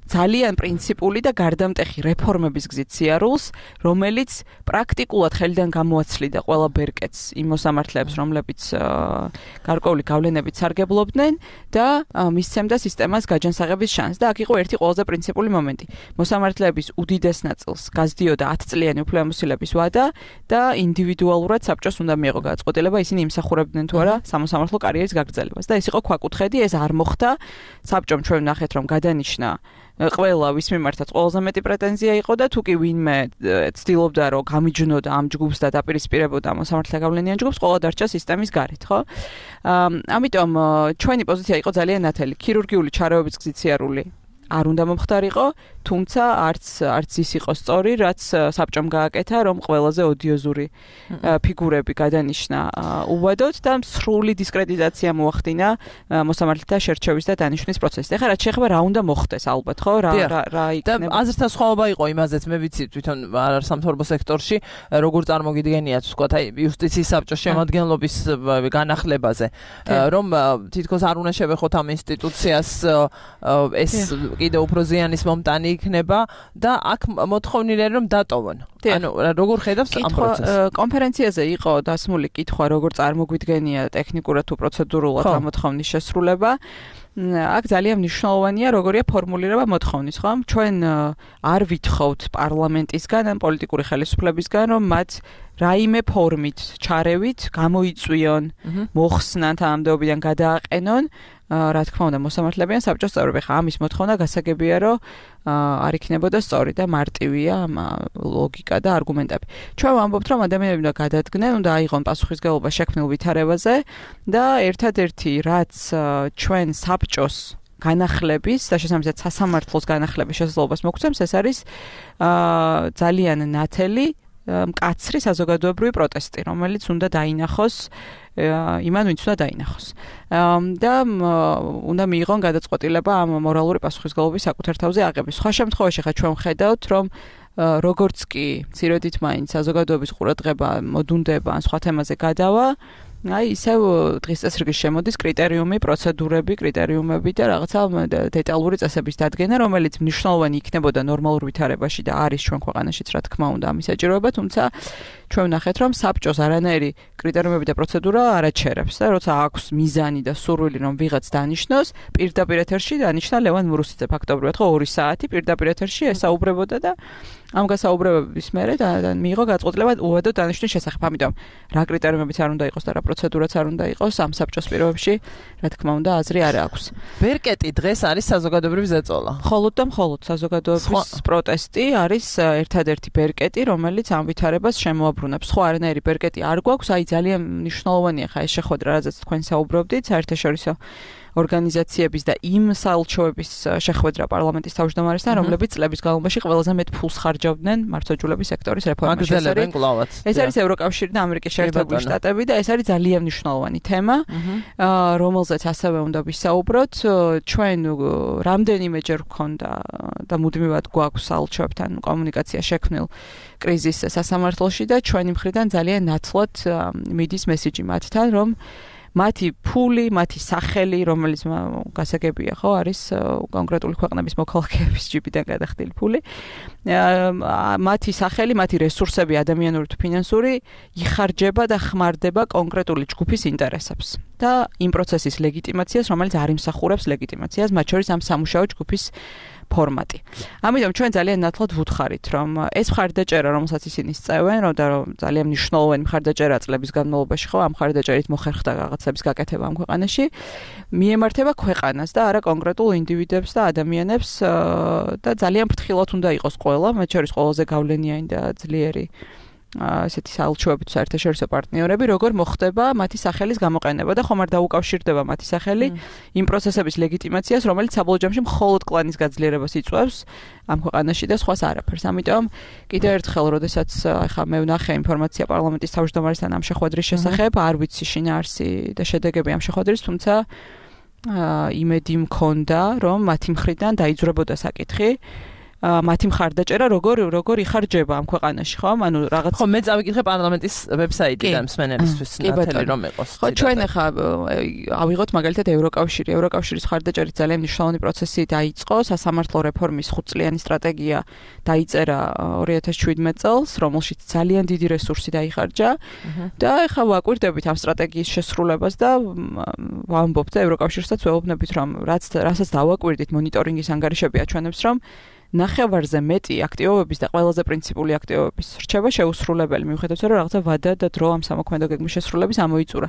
ძალიან პრინციპული და გარდამტეხი რეფორმების გზით სიარულს, რომელიც პრაქტიკულად ხელიდან გამოაცლიდა ყველა ბერკეტს იმ მოსამართლეებს, რომლებიც გარკვეული გავლენებით სარგებლობდნენ და მისცემდა სისტემას გაჯანსაღების შანსს. და აქ იყო ერთი ყველაზე პრინციპული მომენტი. მოსამართლეების უდიდეს ნაწილს გაზდიოდა ათწლიანი უფლებამოსილების ვადა და ინდივიდუალურად საბჭოს უნდა მიეღო გადაწყვეტილება, ისინი იმსახურებდნენ თუ არა სამოსამართლო კარიერის გაგრძელებას. და ეს იყო ქვაკუთხედი, ეს არ მოხდა. საბჭომ ჩვენ ნახეთ რომ გადანიშნა ყველა ვის მიმართაც ყველაზე მეტი პრეტენზია იყო და თუ კი ვინმე ცდილობდა რომ გამიჯნოდა ამ ჯგუფს და დაპირისპირებოდა მოსამართლე გავლენიან ჯგუფს, ყველა დარჩა სისტემის გარეთ, ხო? ამიტომ ჩვენი პოზიცია იყო ძალიან ნათელი. ქირურგიული ჩარეობის გზით სიარული არ უნდა მომხდარიყო, თუმცა არც არც ის იყო სწორი, რაც საბჭომ გააკეთა, რომ ყველაზე ოდიოზური ფიგურები გადანიშნა უბადოდ და სრული დისკრედიტაცია მოახდინა მოსამართლეთა შერჩევის და დანიშვნის პროცესში. ეხლა რაც შეეხება რა უნდა მოხდეს ალბათ, ხო? რა რა იქნება? და აზრთა სხვაობა იყო იმაზეც, მე ვიცი თვითონ სამთავრობო სექტორში როგორ წარმოგიდგენიათ, ვთქვათ, აი იუსტიციის საბჭოს შემადგენლობის განახლებაზე, რომ თითქოს არ უნდა შევეხოთ ამ ინსტიტუციას ეს კიდევ უფრო ზიანის მომტანი იქნება და აქ მოთხოვნილია რომ დატოვონ. ანუ როგორ ხედავს ამ პროცესს? კონფერენციაზე იყო დასმული კითხვა, როგორ წარმოგვიდგენია ტექნიკურად თუ პროცედურულად ამ მოთხოვნის შესრულება. აქ ძალიან მნიშვნელოვანია როგორია ფორმულირება მოთხოვნის, ხო? ჩვენ არ ვითხოვთ პარლამენტისგან ან პოლიტიკური ხელისუფლებისგან, რომ მათ რაიმე ფორმით ჩარევით გამოიწვიონ, მოხსნან თანამდებობიდან გადააყენონ, რა თქმა უნდა მოსამართლებიან საბჭოს წევრები. ხა ამის მოთხოვნა გასაგებია, რომ არ იქნებოდა სწორი და მარტივია ლოგიკა და არგუმენტები. ჩვენ ვამბობთ, რომ ადამიანები უნდა გადადგნენ, უნდა აიღონ პასუხისმგებლობა შექმნილ ვითარებაზე და ერთადერთი რაც ჩვენ საბჭოს განახლების და შესაბამისად სასამართლოს განახლების შესაძლებლობას მოგცემს, ეს არის ძალიან ნათელი მკაცრი საზოგადოებრივი პროტესტი, რომელიც უნდა დაინახოს იმან, ვინც უნდა დაინახოს. და უნდა მიიღონ გადაწყვეტილება ამ მორალური პასუხისმგებლობის საკუთარ თავზე აღების. სხვა შემთხვევაში ხა ჩვენ ვხედავთ, რომ როგორც კი მცირედით მაინც საზოგადოების ყურადღება მოდუნდება ან სხვა თემაზე გადავა, აი ისევ დღის წესრიგის შემოდის კრიტერიუმი, პროცედურები, კრიტერიუმები და რაღაცა დეტალური წესების დადგენა, რომელიც მნიშვნელოვანი იქნებოდა ნორმალურ ვითარებაში და არის ჩვენ ქვეყანაშიც რა თქმა უნდა ამის საჭიროება, თუმცა ჩვენ ვნახეთ, რომ საბჭოს არანაირი კრიტერიუმები და პროცედურა არ აჩერებს და როცა აქვს მიზანი და სურვილი რომ ვიღაც დანიშნოს, პირდაპირ ეთერში დანიშნა ლევან მურუსიძე ფაქტობრივად ხო ორი საათი პირდაპირ ეთერში ესაუბრებოდა და ამ გასაუბრებების მერე და მიიღო გადაწყვეტილება უადო დანიშნვის შესახებ. ამიტომ რა კრიტერიუმებიც არ უნდა იყოს და რა პროცედურაც არ უნდა იყოს ამ საბჭოს პირობებში, რა თქმა უნდა, აზრი არ აქვს. ბერკეტი დღეს არის საზოგადოებრივი ზეწოლა. მხოლოდ და მხოლოდ საზოგადოების პროტესტი არის ერთადერთი ბერკეტი, რომელიც ამ ვითარებას შემოაბრუნებს. სხვა არანაირი ბერკეტი არ გვაქვს, აი ძალიან მნიშვნელოვანია ხა ეს შეხვედრა, რაზეც თქვენ საუბრობდით, საერთაშორისო ორგანიზაციების და იმ საელჩოების შეხვედრა პარლამენტის თავმჯდომარესთან, რომლებიც წლების განმავლობაში ყველაზე მეტ ფულს ხარჯავდნენ მართლმსაჯულების სექტორის რეფორმაში. ეს არის ევროკავშირი და ამერიკის შეერთებული შტატები და ეს არის ძალიან მნიშვნელოვანი თემა, რომელზეც ასევე უნდა ვისაუბროთ. ჩვენ რამდენიმეჯერ გვქონდა და მუდმივად გვაქვს საელჩოებთან კომუნიკაცია შექმნილ კრიზის სასამართლოში და ჩვენი მხრიდან ძალიან ნათლად მიდის მესიჯი მათთან, რომ მათი ფული, მათი სახელი, რომელიც გასაგებია, ხო, არის კონკრეტული ქვეყნების მოქალაქეების ჯიბიდან გადახდილი ფული. მათი სახელი, მათი რესურსები, ადამიანური თუ ფინანსური, იხარჯება და ხმარდება კონკრეტული ჯგუფის ინტერესებს და იმ პროცესის ლეგიტიმაციას, რომელიც არ იმსახურებს ლეგიტიმაციას, მათ შორის ამ სამუშაო ჯგუფის ფორმატი. ამიტომ ჩვენ ძალიან ნათლად ვუთხარით, რომ ეს მხარდაჭერა, რომელსაც ისინი სწევენ, რომ და ძალიან მნიშვნელოვანი მხარდაჭერა წლების განმავლობაში ხო, ამ მხარდაჭერით მოხერხდა რაღაცების გაკეთება ამ ქვეყანაში, მიემართება ქვეყანას და არა კონკრეტულ ინდივიდებს და ადამიანებს და ძალიან ფრთხილად უნდა იყოს ყველა, მათ შორის ყველაზე გავლენიანი და ძლიერი ასეთი საელჩოები თუ საერთაშორისო პარტნიორები, როგორ მოხდება მათი სახელის გამოყენება და ხომ არ დაუკავშირდება მათი სახელი იმ პროცესების ლეგიტიმაციას, რომელიც საბოლოო ჯამში მხოლოდ კლანის გაძლიერებას იწვევს ამ ქვეყანაში და სხვას არაფერს. ამიტომ კიდევ ერთხელ, როდესაც ახლა მე ვნახე ინფორმაცია პარლამენტის თავმჯდომარესთან ამ შეხვედრის შესახებ, არ ვიცი შინაარსი და შედეგები ამ შეხვედრის, თუმცა იმედი მქონდა, რომ მათი მხრიდან დაიძვრებოდა საკითხი. მათი მხარდაჭერა როგორ როგორ იხარჯება ამ ქვეყანაში, ხო? ანუ რაღაც ხო, მე წავიკითხე პარლამენტის ვებსაიტიდან მსმენელისთვის ნათელი რომ იყოს. ხო, ჩვენ ახლა ავიღოთ მაგალითად ევროკავშირი. ევროკავშირის მხარდაჭერით ძალიან მნიშვნელოვანი პროცესი დაიწყო, სასამართლო რეფორმის ხუთწლიანი სტრატეგია დაიწერა ორი ათას შვიდმეტ წელს, რომელშიც ძალიან დიდი რესურსი დაიხარჯა და ახლა ვაკვირდებით ამ სტრატეგიის შესრულებას და ვამბობთ და ევროკავშირსაც ვეუბნებით, რომ რაც რასაც დავაკვირდით მონიტორინგის ანგარიშები აჩვენებს, რომ ნახევარზე მეტი აქტივობების და ყველაზე პრინციპული აქტივობების რჩევა შეუსრულებელი, მიუხედავად რომ რაღაცა ვადა და დრო ამ სამოქმედო გეგმის შესრულების ამოიწურა.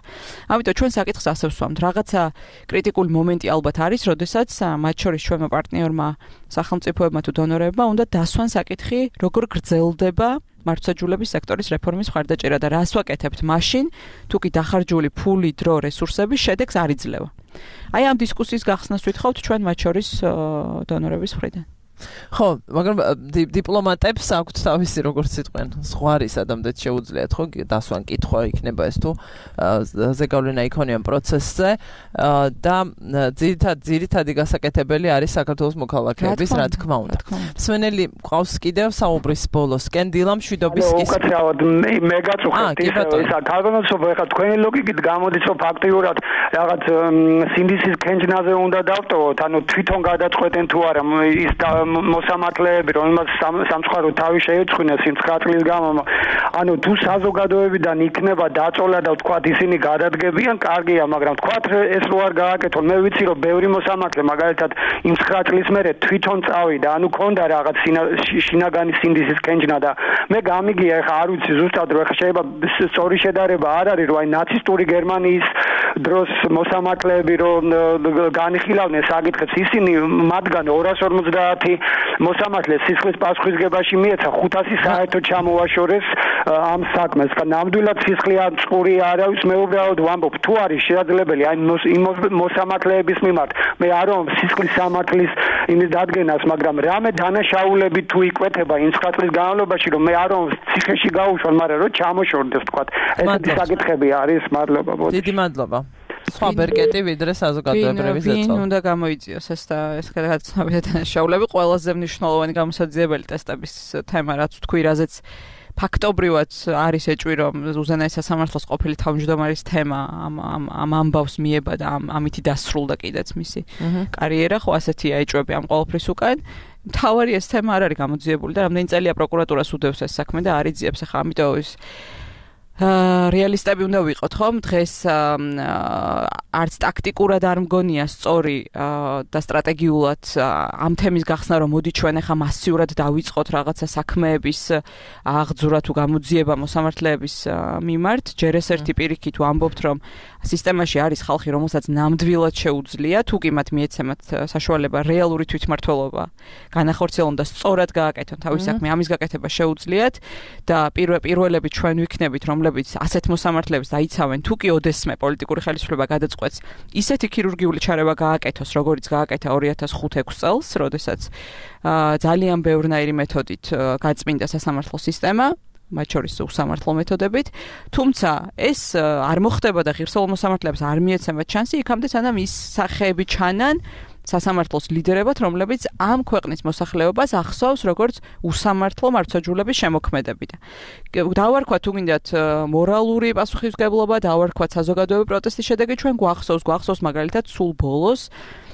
ამიტომ ჩვენ საკითხს ასე ვსვამთ, რაღაცა კრიტიკული მომენტი ალბათ არის, როდესაც მათ შორის ჩვენმა პარტნიორმა, სახელმწიფოებმა თუ დონორებმა უნდა დასვან საკითხი, როგორ გრძელდება მართლმსაჯულების სექტორის რეფორმის მხარდაჭერა და რას ვაკეთებთ მაშინ, თუ კი დახარჯული ფული, დრო, რესურსები შედეგს არ იძლევა. აი ამ დისკუსიის გახსნას ვითხოვთ ჩვენ მათ შორის დონორების მხრიდან. ხო, მაგრამ დიპლომატებს აქვთ თავისი როგორც სიტყვენ, ზღვარი სადამდე შეუძლიათ, ხო, დასვან კითხვა იქნება ეს თუ ზეგავლენა იქონიან პროცესზე და ძირითად ძირითადი გასაკეთებელი არის საქართველოს მოქალაქეების, რა თქმა უნდა. მსმენელი ყავს კიდევ საუბრის ბოლოსკენ დილა მშვიდობის ის უკაცრავად მე გაწუხებთ ისა თავგანაცობა ახლა თქვენი ლოგიკით გამოდის რომ ფაქტიურად რაღაც სინდისის კენჯნაზე უნდა დავტოვოთ, ანუ თვითონ გადაწყვეტენ თუ არა ის მოსამართლეები, რომელმაც სამცხარო თავი შეეწყვინეს იმ ცხრა წლის გამო, ანუ თუ საზოგადოებიდან იქნება დაწოლა და თქვათ ისინი გადადგებიან, კარგია, მაგრამ თქვათ ეს რო არ გააკეთონ, მე ვიცი რომ ბევრი მოსამართლე მაგალითად იმ ცხრა წლის მერე თვითონ წავიდა, ანუ ქონდა რაღაც შინაგანი სინდისის კენჯნა და მე გამიგია, ეხა არ ვიცი ზუსტად რომ ეხა შეიძლება სწორი შედარება არ არის, რომ აი ნაცისტური გერმანიის დროს მოსამართლეები რომ განიხილავდნენ საკითხებს, ისინი მათგან ორას ორმოცდაათი მოსამართლეს სისხლის პასუხისგებაში მიეცა, ხუთასი საერთოდ ჩამოაშორეს ამ საქმეს. ნამდვილად სისხლი არ წყური არავის მე უბრალოდ ვამბობ, თუ არის შესაძლებელი აი იმ მოსამართლეების მიმართ, მე არ ვამბობ სისხლის სამართლის იმის დადგენას, მაგრამ რამე დანაშაულები თუ იკვეთება იმ ცხრა წლის განმავლობაში, რომ მე არ ვამბობ ციხეში გაუშვან, მაგრამ რომ ჩამოშორდეს თქვა. ესეთი საკითხები არის, მადლობა. დიდი მადლობა. სხვა ბერკეტი ვიდრე საზოგადოებრივი ზეწოლა. ვინ უნდა გამოიწიოს ეს და ეს გადაცნობები და დანაშაულები ყველაზე მნიშვნელოვანი გამოსაძიებელი ტესტების თემა, რაც თქვი, რაზეც ფაქტობრივად არის ეჭვი, რომ უზენაეს სასამართლოს ყოფილი თავმჯდომარის თემა ამ ამ ამ ამბავს მიება და ამ ამითი დასრულდა კიდეც მისი კარიერა, ხო ასეთია ეჭვები ამ ყოველფრის უკან. თავარი ეს თემა არ არის გამოძიებული და რამდენი წელია პროკურატურას უდევს ეს საქმე და არ იძიებს ახლა, ამიტომ ის რეალისტები უნდა ვიყოთ, ხომ? დღეს არც ტაქტიკურად არ მგონია სწორი და სტრატეგიულად ამ თემის გახსნა, რომ მოდი ჩვენ ახლა მასიურად დავიწყოთ რაღაცა საქმეების აღძვრა თუ გამოძიება მოსამართლეების მიმართ. ჯერ ეს ერთი პირიქით ვამბობთ, რომ სისტემაში არის ხალხი, რომელსაც ნამდვილად შეუძლია, თუ კი მათ მიეცემათ საშუალება რეალური თვითმმართველობა განახორციელონ და სწორად გააკეთონ თავის საქმე, ამის გაკეთება შეუძლიათ და პირველები ჩვენ ვიქნებით, რომლებიც ასეთ მოსამართლეებს დაიცავენ, თუ კი ოდესმე პოლიტიკური ხელისუფლება გადაწყვეტს ისეთი ქირურგიული ჩარევა გააკეთოს, როგორც გააკეთა ორი ათას ხუთი ექვსი წელს, როდესაც ძალიან ბევრნაირი მეთოდით გაწმინდა სასამართლო სისტემა, მათ შორის უსამართლო მეთოდებით, თუმცა ეს არ მოხდება და ღირსეულ მოსამართლეებს არ მიეცემათ შანსი, იქამდე სანამ ის სახეები ჩანან სასამართლოს ლიდერებად, რომლებიც ამ ქვეყნის მოსახლეობას ახსოვს როგორც უსამართლო მართლმსაჯულების შემოქმედები. დავარქვათ თუ გინდათ მორალური პასუხისმგებლობა, დავარქვათ საზოგადოებრივი პროტესტის შედეგი, ჩვენ გვახსოვს, გვახსოვს მაგალითად სულ ბოლოს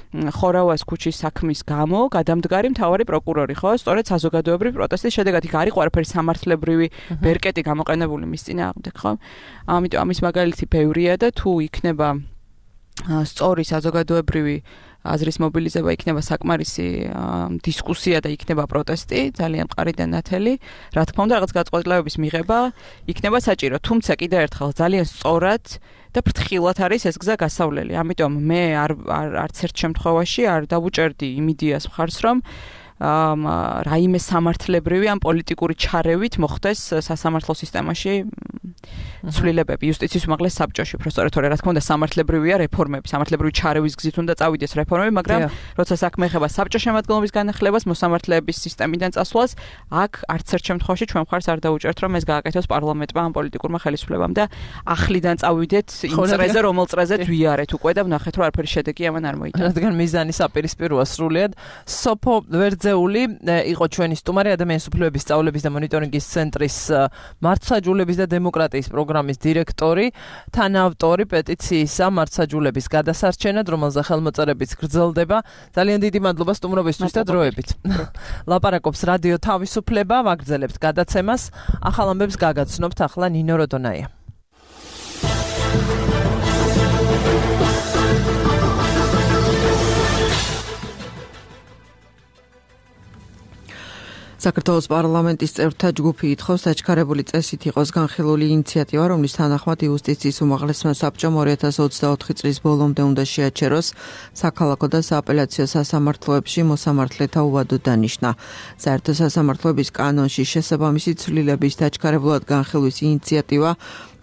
ხორავას ქუჩის საქმის გამო გადამდგარი მთავარი პროკურორი, ხო? სწორედ საზოგადოებრივი პროტესტის შედეგად იქ არის ყველაფერი სამართლებრივი ბერკეტი გამოყენებული მის წინააღმდეგ, ხო? ამიტომ ამის მაგალითი ბევრია და თუ იქნება სწორი საზოგადოებრივი აზრის მობილიზება, იქნება საკმარისი დისკუსია და იქნება პროტესტი, ძალიან მყარი და ნათელი. რა თქმა უნდა, რაღაც გაწყვეტილებების მიღება იქნება საჭირო, თუმცა კიდევ ერთხელ ძალიან სწორად და ფრთხილად არის ეს გზა გასავლელი. ამიტომ მე არ არც ერთ შემთხვევაში არ დავუჭერდი იმ იდეას მხარს, რომ რაიმე სამართლებრივი ან პოლიტიკური ჩარევით მოხდეს სასამართლო სისტემაში ცვლილებები იუსტიციის უმაღლეს საბჭოში, უბრალოდ თორე რა თქმა უნდა სამართლებრივია რეფორმები, სამართლებრივი ჩარევის გზით უნდა წავიდეს რეფორმები, მაგრამ როცა საქმე ეხება საბჭოს შემადგენლობის განახლებას, მოსამართლეების სისტემიდან წასვლას, აქ არც ერთ შემთხვევაში ჩვენ მხარს არ დავუჭერთ, რომ ეს გააკეთოს პარლამენტმა ან პოლიტიკურმა ხელისუფლებამ და ახლიდან წავიდეთ იმ წრეზე, რომელ წრეზეც ვიარეთ უკვე და ვნახეთ, რომ არაფერი შედეგი ამან არ მოიტანა. რადგან მიზანი საპირისპიროა სრულიად. სოფო ვერძეული იყო ჩვენი სტუმარი, ადამიანის უფლებების სწავლების და მონიტორინგის ცენტრის მართლმსაჯულების და დემოკრატიის პროგრამის დირექტორი, თანაავტორი პეტიციისა მართლმსაჯულების გადასარჩენად, რომელზე ხელმოწერებიც გრძელდება. ძალიან დიდი მადლობა სტუმრობისთვის და დროებით. ლაპარაკობს რადიო თავისუფლება, ვაგრძელებთ გადაცემას. ახალ ამბებს გაგაცნობთ ახლა ნინო როდონაია. საქართველოს პარლამენტის წევრთა ჯგუფი ითხოვს დაჩქარებული წესით იყოს განხილული ინიციატივა, რომლის თანახმად იუსტიციის უმაღლესმა საბჭომ ორი ათას ოცდაოთხი წლის ბოლომდე უნდა შეაჩეროს საქალაქო და სააპელაციო სასამართლოებში მოსამართლეთა უვადო დანიშნა. საერთო სასამართლოების კანონში შესაბამისი ცვლილების დაჩქარებულად განხილვის ინიციატივა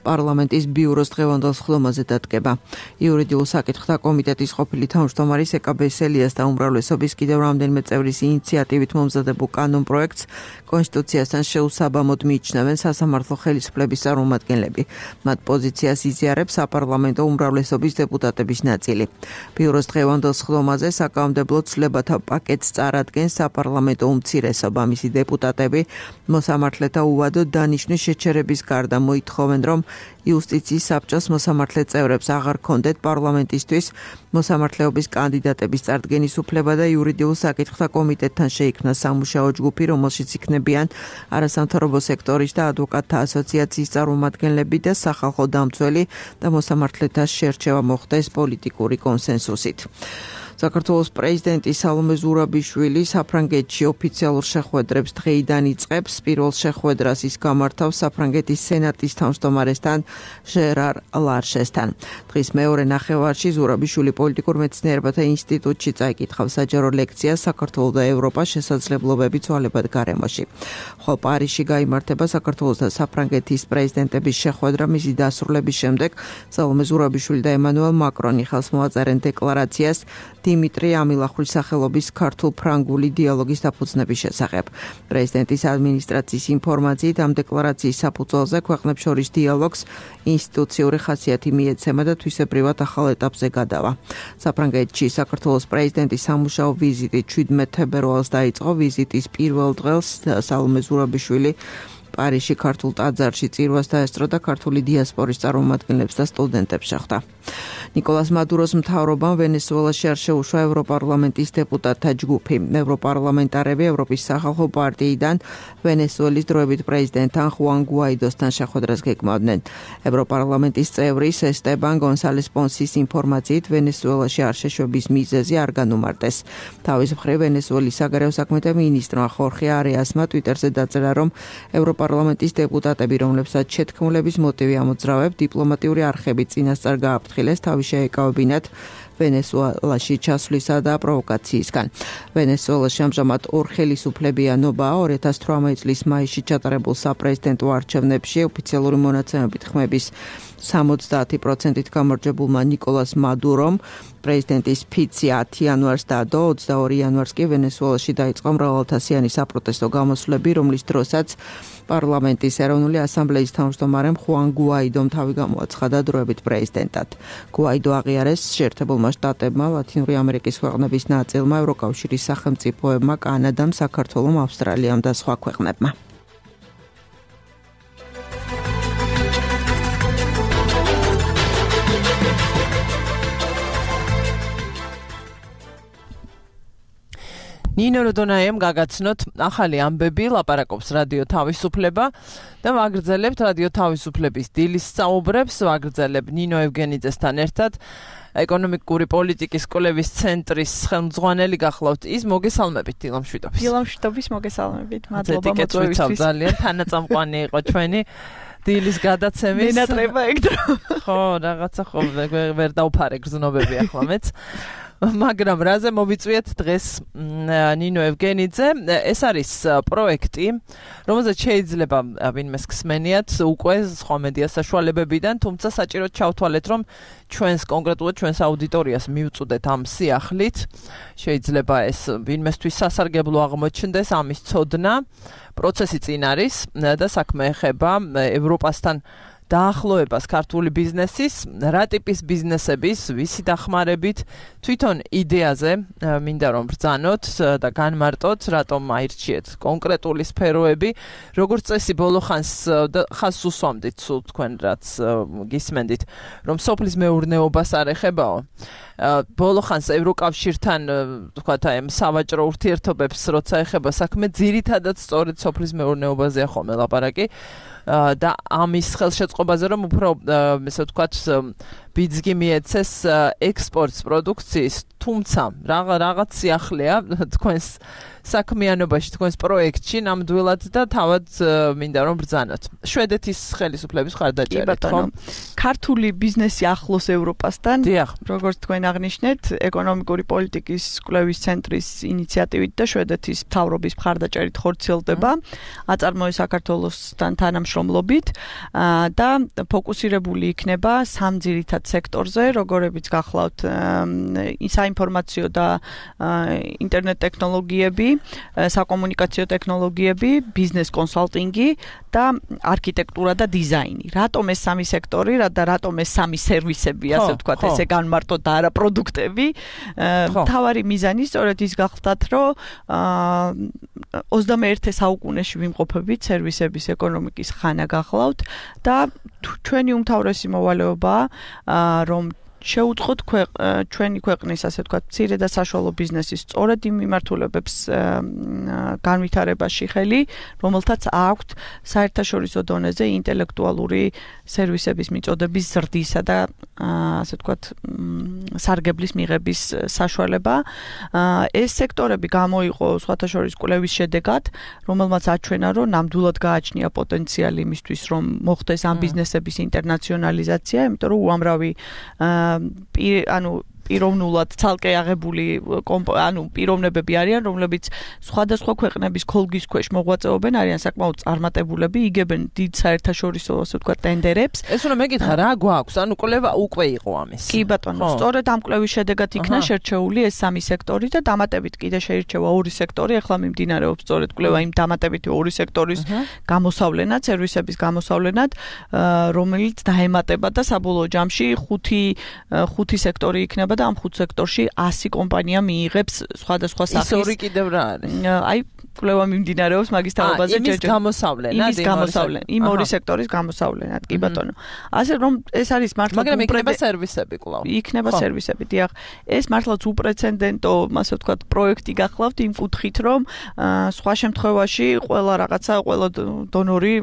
პარლამენტის ბიუროს დღევანდელ სხდომაზე დადგება. იურიდიულ საკითხთა კომიტეტის ყოფილი თავმჯდომარის ეკაბეს ელიას და უმრავლესობის კიდევ რამდენიმე წევრის ინიციატივით მომზადებულ კანონპროექტს კონსტიტუციასთან შეუსაბამოდ მიიჩნევენ სასამართლო ხელისუფლების წარმომადგენლები. მათ პოზიციას იზიარებს საპარლამენტო უმრავლესობის დეპუტატების ნაწილი. ბიუროს დღევანდელ სხდომაზე საკანონმდებლო ცვლილებათა პაკეტს წარადგენს საპარლამენტო უმცირესობა. მისი დეპუტატები მოსამართლეთა უვადო დანიშნვის შეჩერების გარდა მოითხოვენ, რომ იუსტიციის საბჭოს მოსამართლე წევრებს აღარ ქონდეთ პარლამენტისთვის მოსამართლეობის კანდიდატების წარდგენის უფლება და იურიდიულ საკითხთა კომიტეტთან შეიქმნა სამუშაო ჯგუფი, რომელშიც იქნებიან არასამთავრობო სექტორის და ადვოკატთა ასოციაციის წარმომადგენლები და სახალხო დამცველი და მოსამართლეთა შერჩევა მოხდეს პოლიტიკური კონსენსუსით. საქართველოს პრეზიდენტი სალომე ზურაბიშვილი საფრანგეთში ოფიციალურ შეხვედრებს დღეიდან იწყებს. პირველ შეხვედრას ის გამართავს საფრანგეთის სენატის თავმჯდომარესთან ჟერარ ლარშესთან. დღის მეორე ნახევარში ზურაბიშვილი პოლიტიკურ მეცნიერებათა ინსტიტუტში წაიკითხავს საჯარო ლექციას საქართველოს და ევროპას შესაძლებლობები ცვალებად გარემოში. ხოლო პარიზში გაიმართება საქართველოს და საფრანგეთის პრეზიდენტების შეხვედრა. მისი დასრულების შემდეგ სალომე ზურაბიშვილი და ემანუელ მაკრონი ხელს მოაწერენ დეკლარაციას დიმიტრი ამილახვილის სახელობის ქართულ-ფრანგული დიალოგის დაფუძნების შესახებ. პრეზიდენტის ადმინისტრაციის ინფორმაციით ამ დეკლარაციის საფუძველზე ქვეყნებს შორის დიალოგს ინსტიტუციური ხასიათი მიეცემა და თვისებრივად ახალ ეტაპზე გადავა. საფრანგეთში საქართველოს პრეზიდენტის სამუშაო ვიზიტი შვიდმეტ თებერვალს დაიწყო. ვიზიტის პირველ დღეს სალომე ზურაბიშვილი პარიზში ქართულ ტაძარში წირვას დაესწრო და ქართული დიასპორის წარმომადგენლებს და სტუდენტებს შეხვდა. ნიკოლას მადუროს მთავრობამ ვენესუელაში არ შეუშვა ევროპარლამენტის დეპუტატთა ჯგუფი. ევროპარლამენტარები ევროპის სახალხო პარტიიდან ვენესუელის დროებით პრეზიდენტთან ხუან გუაიდოსთან შეხვედრას გეგმავდნენ. ევროპარლამენტის წევრი ესტებან გონსალეს პონსის ინფორმაციით ვენესუელაში არ შეშვების მიზეზი არ განუმარტეს. თავის მხრივ ვენესუელის საგარეო საქმეთა მინისტრმა ხორხე არეასმა ტვიტერზე დაწერა, რომ ევროპარლამენტის დეპუტატები, რომლებსაც შეთქმულების მოტივი ამოძრავებს, დიპლომატიური არხებით წინასწარ გააფრთხილეს თავის შეეკავებინათ ვენესუელაში ჩასვლისა და პროვოკაციისგან. ვენესუელაში ამჟამად ორ ხელისუფლებიანობაა. ორი ათას თვრამეტი წლის მაისში ჩატარებულ საპრეზიდენტო არჩევნებში ოფიციალური მონაცემებით ხმების სამოცდაათი პროცენტით გამარჯვებულმა ნიკოლას მადურომ პრეზიდენტის ფიცი ათი იანვარს დადო, ოცდაორი იანვარს კი ვენესუელაში დაიწყო მრავალათასიანი საპროტესტო გამოსვლები, რომლის დროსაც პარლამენტის ეროვნული ასამბლეის თავმჯდომარემ ხუან გუაიდომ თავი გამოაცხადა დროებით პრეზიდენტად. გუაიდო აღიარეს შეერთებულმა შტატებმა, ლათინური ამერიკის ქვეყნების ნაწილმა, ევროკავშირის სახელმწიფოებმა, კანადამ, საქართველომ, ავსტრალიამ და სხვა ქვეყნებმა. ნინო როდონაიამ გაგაცნოთ ახალი ამბები, ლაპარაკობს რადიო თავისუფლება და ვაგრძელებთ რადიო თავისუფლების დილის საუბრებს, ვაგრძელებ ნინო ევგენიძესთან ერთად. ეკონომიკური პოლიტიკის კვლევის ცენტრის ხელმძღვანელი გახლავთ ის, მოგესალმებით დილამშვიდობის. დილამშვიდობის მოგესალმებით. მადლობა მოწვევისთვის. ძალიან თანაწამყვანი იყო ჩვენი დილის გადაცემის. მინატრება ეგ დრო. ხო, რაღაცა ხო ვერ დავფარე გრძნობები ახლა მეც. მაგრამ რაზე მოვიწვიეთ დღეს ნინო ევგენიძე, ეს არის პროექტი, რომელზეც შეიძლება ვინმეს გსმენიათ უკვე სხვა მედია საშუალებებიდან, თუმცა საჭიროდ ჩავთვალეთ, რომ ჩვენს კონკრეტულად ჩვენს აუდიტორიას მივწუდეთ ამ სიახლით. შეიძლება ეს ვინმესთვის სასარგებლო აღმოჩნდეს ამის ცოდნა. პროცესი წინ არის და საქმე ეხება ევროპასთან დაახლოებას ქართული ბიზნესის, რა ტიპის ბიზნესების, ვისი დახმარებით, თვითონ იდეაზე მინდა რომ ბრძანოთ და განმარტოთ, რატომ აირჩიეთ კონკრეტული სფეროები, როგორც წესი ბოლო ხანს ხას უსვამდით სულ თქვენ რაც გისმენდით, რომ სოფლის მეურნეობას არ ეხებაო. ბოლო ხანს ევროკავშირთან თქვათ აი სავაჭრო ურთიერთობებს როცა ეხება საქმე, ძირითადად სწორედ სოფლის მეურნეობაზეა ხოლმე ლაპარაკი. და ამის ხელშეწყობაზე რომ უფრო ესე ვთქვათ ბიძგი მიეცეს ექსპორტს პროდუქციის, თუმცა რაღაც სიახლეა თქვენს საქმიანობაში, თქვენს პროექტში ნამდვილად და თავად მინდა რომ ბრძანოთ. შვედეთის ხელისუფლების ხარდაჭერით, ხო? ქართული ბიზნესი ახლოს ევროპასთან, დიახ, როგორც თქვენ აღნიშნეთ, ეკონომიკური პოლიტიკის კვლევის ცენტრის ინიციატივით და შვედეთის მთავრობის მხარდაჭერით ხორციელდება, აწარმოეს საქართველოსთან თანამშრომლობით და ფოკუსირებული იქნება სამ ძირითად სექტორზე, როგორებიც გახლავთ საინფორმაციო და ინტერნეტ ტექნოლოგიები, საკომუნიკაციო ტექნოლოგიები, ბიზნეს კონსალტინგი და არქიტექტურა და დიზაინი. რატომ ეს სამი სექტორი და რატომ ეს სამი სერვისები, ასე ვთქვათ, ესე განმარტოთ და არა პროდუქტები? მთავარი მიზანი სწორედ ის გახლავთ, რომ ოცდამეერთე საუკუნეში ვიმყოფებით, სერვისების ეკონომიკის ხანა გახლავთ და ჩვენი უმთავრესი მოვალეობაა, რომ შეუწყოთ ჩვენი ქვეყნის, ასე ვთქვათ, მცირე და საშუალო ბიზნესის სწორედ იმ მიმართულებებს განვითარებაში ხელი, რომელთაც აქვთ საერთაშორისო დონეზე ინტელექტუალური სერვისების მიწოდების ზრდისა და ასე ვთქვათ, სარგებლის მიღების საშუალება. ეს სექტორები გამოიყო სხვათა შორის კვლევის შედეგად, რომელმაც აჩვენა, რომ ნამდვილად გააჩნია პოტენციალი იმისთვის, რომ მოხდეს ამ ბიზნესების ინტერნაციონალიზაცია, იმიტომ რომ უამრავი ანუ პიროვნულად ცალკე აღებული ანუ პიროვნებები არიან, რომლებიც სხვადასხვა ქვეყნების ქოლგის ქვეშ მოღვაწეობენ, არიან საკმაოდ წარმატებულები, იგებენ დიდ საერთაშორისო, ასე ვთქვათ, ტენდერებს. ეს უნდა მეკითხა, რა გვაქვს? ანუ კვლევა უკვე იყო ამის. კი ბატონო, სწორედ ამ კვლევის შედეგად იქნა შერჩეული ეს სამი სექტორი და დამატებით კიდე შეირჩევა ორი სექტორი, ახლა მიმდინარეობს სწორედ კვლევა იმ დამატებითი ორი სექტორის გამოსავლენად, სერვისების გამოსავლენად, რომელიც დაემატება და საბოლოო ჯამში ხუთი ხუთი სექტორი იქნება იქნება და ამ ხუთ სექტორში ასი კომპანია მიიღებს სხვადასხვა სახის. ის ორი კიდევ რა არის? აი კვლევა მიმდინარეობს მაგის თაობაზე ჯერჯერ. იმის გამოსავლენად, იმის გამოსავლენად, იმ ორი სექტორის გამოსავლენად, კი ბატონო. ასე რომ ეს არის მართლა მაგრამ იქნება სერვისები კვლავ. იქნება სერვისები, დიახ. ეს მართლაც უპრეცედენტო, ასე ვთქვათ, პროექტი გახლავთ იმ კუთხით, რომ სხვა შემთხვევაში ყველა რაღაცა, ყველა დონორი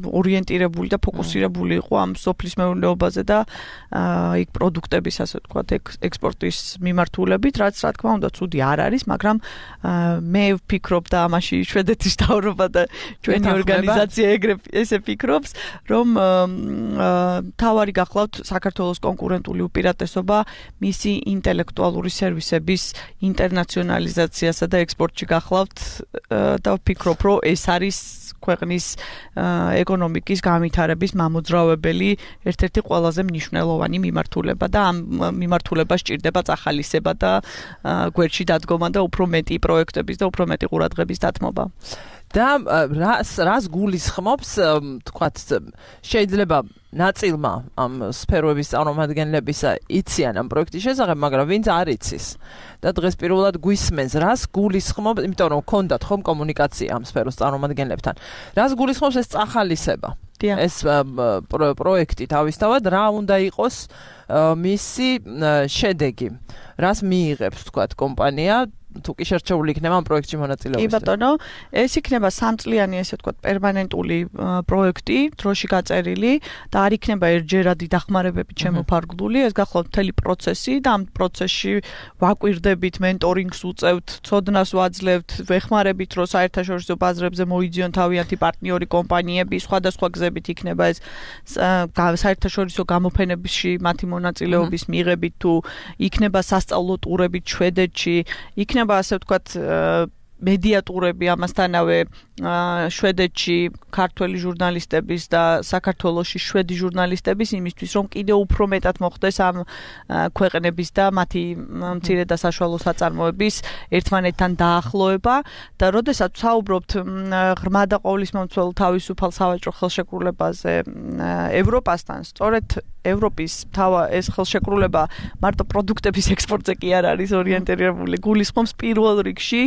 ორიენტირებული და ფოკუსირებული იყო ამ სოფლის მეურნეობაზე და იქ პროდუქტების, ასე ვთქვათ, ექსპორტის მიმართულებით, რაც რა თქმა უნდა ცუდი არ არის, მაგრამ მე ვფიქრობ და ამაში შვედეთის მთავრობა და ჩვენი ორგანიზაცია ეგრე ესე ფიქრობს, რომ თავარი გახლავთ საქართველოს კონკურენტული უპირატესობა მისი ინტელექტუალური სერვისების ინტერნაციონალიზაციასა და ექსპორტში გახლავთ და ვფიქრობ, რომ ეს არის ქვეყნის ეკონომიკის განვითარების მამოძრავებელი ერთ-ერთი ყველაზე მნიშვნელოვანი მიმართულება და ამ მიმართულებას სჭირდება წახალისება და გვერდში დადგომა და უფრო მეტი პროექტების და უფრო მეტი ყურადღების დათმობა. და რას რას გულისხმობს, თქვათ, შეიძლება ნაწილმა ამ სფეროების წარმომადგენლებისა იციან ამ პროექტის შესახებ, მაგრამ ვინც არ იცის და დღეს პირველად გვისმენს, რას გულისხმობს, იმიტომ რომ გქონდათ ხომ კომუნიკაცია ამ სფეროს წარმომადგენლებთან. რას გულისხმობს ეს წახალისება? ეს პროექტი თავისთავად რა უნდა იყოს მისი შედეგი? რას მიიღებს, თქვათ, კომპანია თუ კი შერჩეული იქნება ამ პროექტში მონაწილეობის. კი ბატონო, ეს იქნება სამწლიანი, ესე ვთქვათ, პერმანენტული პროექტი, დროში გაწერილი და არ იქნება ერთჯერადი დახმარებებით შემოფარგლული, ეს გახლავთ მთელი პროცესი და ამ პროცესში ვაკვირდებით, მენტორინგს უწევთ, ცოდნას ვაძლევთ, ვეხმარებით, რომ საერთაშორისო ბაზრებზე მოიძიონ თავიანთი პარტნიორი კომპანიები, სხვადასხვა გზებით იქნება ეს საერთაშორისო გამოფენებში მათი მონაწილეობის მიღებით თუ იქნება სასწავლო ტურებით შვედეთში, იქნება ასე ვთქვათ მედიატურები ამასთანავე შვედეთში ქართველი ჟურნალისტების და საქართველოში შვედი ჟურნალისტების იმისთვის რომ კიდევ უფრო მეტად მოხდეს ამ ქვეყნების და მათი მცირე და საშუალო საწარმოების ერთმანეთთან დაახლოება და როდესაც საუბრობთ ღრმა და ყოვლისმომცველ თავისუფალ სავაჭრო ხელშეკრულებაზე ევროპასთან, სწორედ ევროპის თავა ეს ხელშეკრულება მარტო პროდუქტების ექსპორტზე კი არ არის ორიენტირებული, გულისხმობს პირველ რიგში